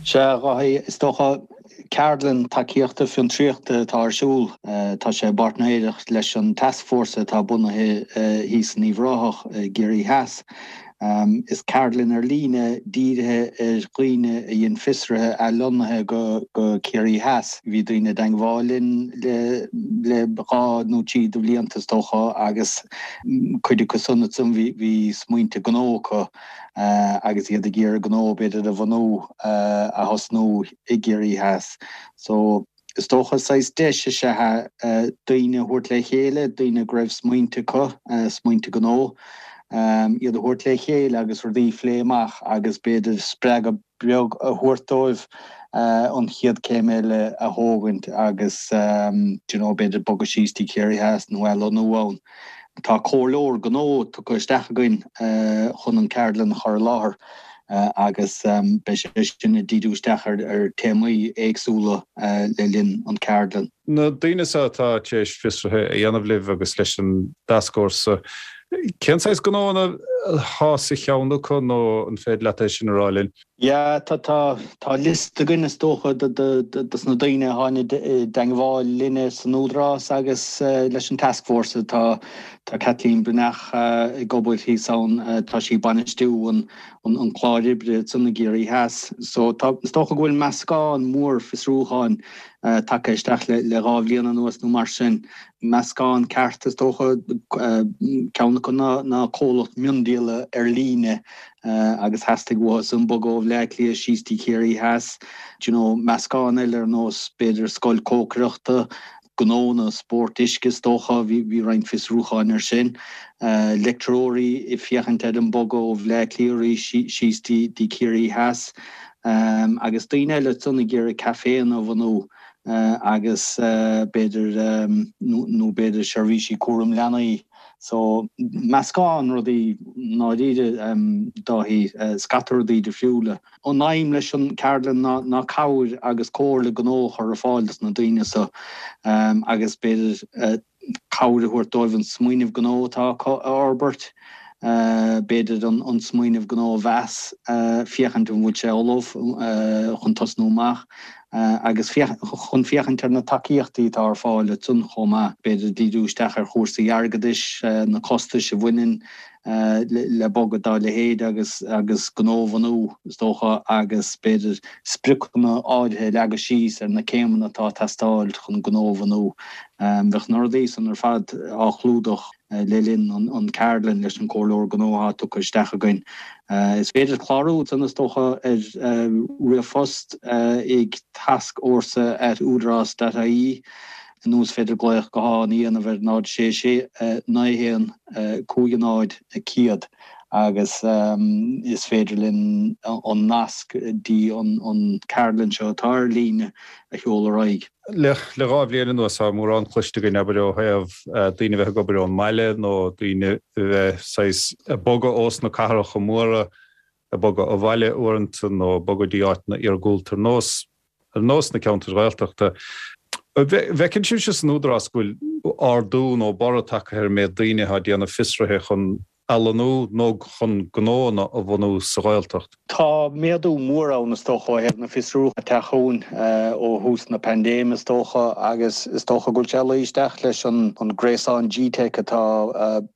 Sea, a Dháithí, is dócha, ceardlann tacaíochta fiontraíochta atá ar siúl. Tá sé i bpáirtnéireacht leis an tascfhórsa atá bunaithe thíos in Uíbh Ráthach i gCiarraí Theas. Is ceardlann ar líne dírithe ar dhaoine a dhein fiosruithe athlonnaithe go Ciarraí Theas. Bhí daoine i dteangmháil linn le 2 nó 3 de bhlianta is dócha agus cuid acu san ansan bhí smaointe gnó acu agus iad ag iarraidh gnó b'fhéidir a bhunú, a thosnú i gCiarraí Theas. So. Is dócha saghas deis is ea é daoine a thabhairt le chéile, daoine go raibh smaointe acu, smaointe gnó, iad a thabhairt le chéile agus rudaí a phlé amach agus b'fhéidir spreagadh beag a thabhairt dóibh an chéad céim eile a thógaint agus do you know b'fhéidir bogadh síos dtí Ciarraí Theas nó athlonnú ann. Tá comhairleoir gnó tugtha isteach againn chun an ceardlann a chur i láthair agus beidh sé sin ag díriú isteach ar téamaí éagsúla le linn an ceardlann. Na daoine seo atá tar éis fiosruithe a dhéanamh libh agus leis an dtascfhórsa, cén saghas gnóanna atá sa cheann acu nó an féidir leat é sin a rá linn? Yeah, tá, tá, tá liosta againn is dócha de, de, de, dos na daoine a tháinig i dteangmháil linne san Údarás agus leis an tascfhórsa. Tá, tá Kathleen Breathnach ag obair thíos ann, tá sí ag bainistiú an, an, an clár oibre ansan i gCiarraí Theas. So tá, is dócha go bhfuil meascán mór fiosrúcháin tagtha isteach le, le 2 bhliain anuas nó mar sin. Meascán ceart is dócha, ceann acu ná, ná comhlacht miondíola ar líne agus theastaigh uathu san bogadh ó Bhleá Cliath síos dtí Ciarraí Theas. Do you know, meascán eile ar nós b'fhéidir scoil cócaireachta, gnónna spóirt uisce is dócha, bhí bhí roinnt fiosrúcháin ar sin. Leictreoirí ag féachaint ar an bogadh ó Bhleá Cliath arís síos dtí dtí Ciarraí Theas. Agus daoine eile ansan ag iarraidh caiféanna a bhunú agus b'fhéidir nó nó b'fhéidir seirbhísí cúram leanaí. So, meascán rudaí i ndáiríre, Dáithí, scata rudaí difriúla. An aidhm leis an ceardlann ná ná cabhair agus comhairle gnó a chur ar fáil dos na daoine so agus b'fhéidir cabhair a thabhairt dóibh an smaoineamh gnó atá acu a fhorbairt, b'fhéidir an smaoineamh gnó a mheas, féachaint an bhfuil sé ullamh chun tosnú amach. agus chun féachaint ar na tacaíochtaí atá ar fáil ansan chomh maith, b'fhéidir díriú isteach ar chúrsaí airgeadais, na costais a bhaineann le bogadh dá leithéid agus agus gnó a bhunú, is dócha, agus b'fhéidir spriocanna áirithe a leagadh síos ar na céimeanna atá ag teastáil chun gnó a bhunú. Bheadh na rudaí san ar fad á chlúdach. le linn an ceardlann leis an comhairleoir gnó atá tugtha isteach againn. Is féidir clárú ansan is dócha ar ríomhphost ag tascfhórsa at údarás dot ie nó is féidir glaoch gutháin a dhéanamh ar 0 6 6 9 1 5 0 100 agus is féidir linn an nasc dtí an ceardlann seo atá ar líne a sheoladh ar aghaidh. Le 2 bhliain anuas tá mórán cloiste againn, abair, ó thaobh daoine a bheith ag obair ón mbaile nó daoine a bheith saghas ag bogadh ós na cathracha móra, ag bogadh abhaile uaireanta nó ag bogadh dtí áiteanna iargúlta ar nós ar nós na ceantair Ghaeltachta. An bhfeiceann sibhse san Údarás go bhfuil ardú nó borradh tagtha ar an méid daoine atá ag déanamh fiosruithe chun. a lonnú nó chun gnóanna a bhunú sa Ghaeltacht. Tá méadú mór ann is dócha ó thaobh na fiosrúcháin ag teacht chugainn ó thús na paindéime is dócha agus is dócha go bhfuil sé ag luí isteach leis an gréasán GTeic atá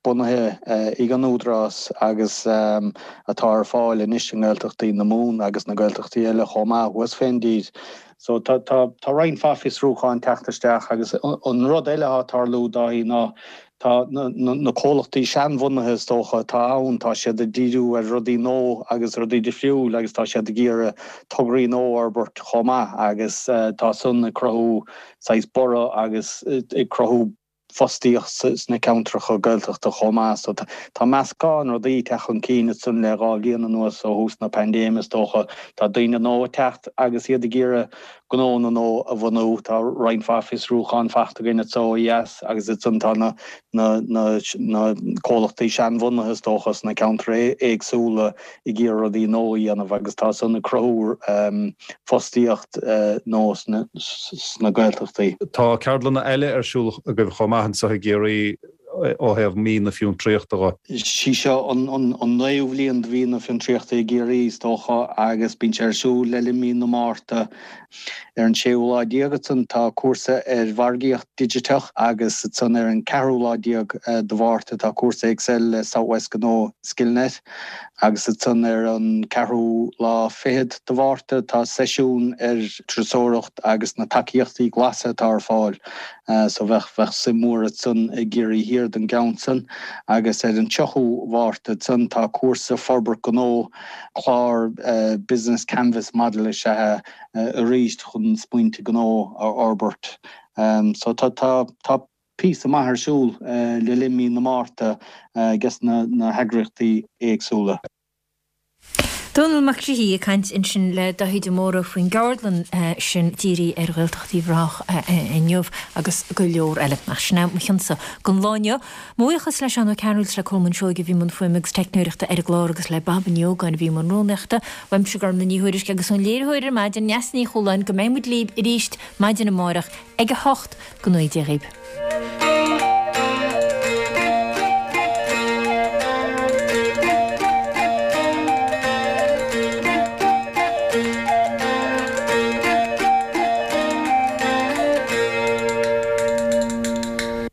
bunaithe ag an Údarás agus atá ar fáil anois i nGaeltachtaí na Mumhan agus na Gaeltachtaí eile chomh maith thuas fén dtír. So tá tá roinnt mhaith fiosrúcháin teacht isteach agus an rud eile atá ag tarlú Dáithí ná Tá na comhlachtaí seanbhunaithe is dócha atá ann, tá siad ag díriú ar rudaí nua agus rudaí difriúil agus tá siad ag iarraidh tograí nua a fhorbairt chomh maith agus tá san ag cruthú saghas borradh agus ag cruthú fostaíocht sna ceantracha Gaeltachta chomh maith. So tá meascán rudaí ag teacht chun cinn ansan le 2 bhliain anuas ó thús na paindéime is dócha. Tá daoine nua ag teacht agus iad ag iarraidh gnónna nua a bhunú. Tá roinnt mhaith fiosrúchán fachta againn anso ó dheas agus ansan tá na na comhlachtaí seanbhunaithe is dócha sna ceantair éagsúla ag iarraidh rudaí nua a dhéanamh agus tá san ag cruthú fostaíocht nua sna Gaeltachtaí. Tá ceardlanna eile ar siúl agaibh chomh maith anseo i gCiarraí ó thaobh Mí na Fiontraíochta dho. Sí seo an naoú bhliain de Mhí na Fiontraíochta i gCiarraí, is dócha, agus bíonn sé ar siúl le linn mí na Márta. Ar an séú lá déag ansan tá cúrsa ar mhargaíocht digiteach agus ansan ar an ceathrú lá déag de Mhárta tá cúrsa Excel le South West Gnó Skillnet agus ansan ar an ceathrú lá fichead de Mhárta tá seisiún ar turasóireacht agus na tacaíochtaí glasa atá ar fáil. So bheadh, bheadh suim mhór ansan i gCiarraí Thiar don gceann san. Agus ar an 30ú Mhárta ansan tá cúrsa forbairt gnó, clár Business Canvas Model is ea é arís chun smaointe gnó a fhorbairt. So tá, tá, tá píosa maith ar siúl le linn mí na Márta ages na, na heagraíochtaí éagsúla. Dónall Mac Séaghdha ag caint ansin le Daithí de Mórdha faoin gceardlann sin dírithe ar Ghaeltacht Uíbh Ráthach inniu agus go leor eile. Ach sin é mo chionsa don lá inniu. Mo bhuíochas le Seán Ó Cearúil is le Colmán Seoige a bhí i mbun fuaime agus teicneoireachta ar an gclár agus le Baba Ní Ógáin a bhí i mbun rúnaíochta. Uaimse Gormlaith Ní Thuairisg agus ón léiritheoir ar maidin, Neasa Ní Chualáin, go mbeidh muid libh arís maidin amárach ag 8. Go ngnóthaí Dia dhaoibh.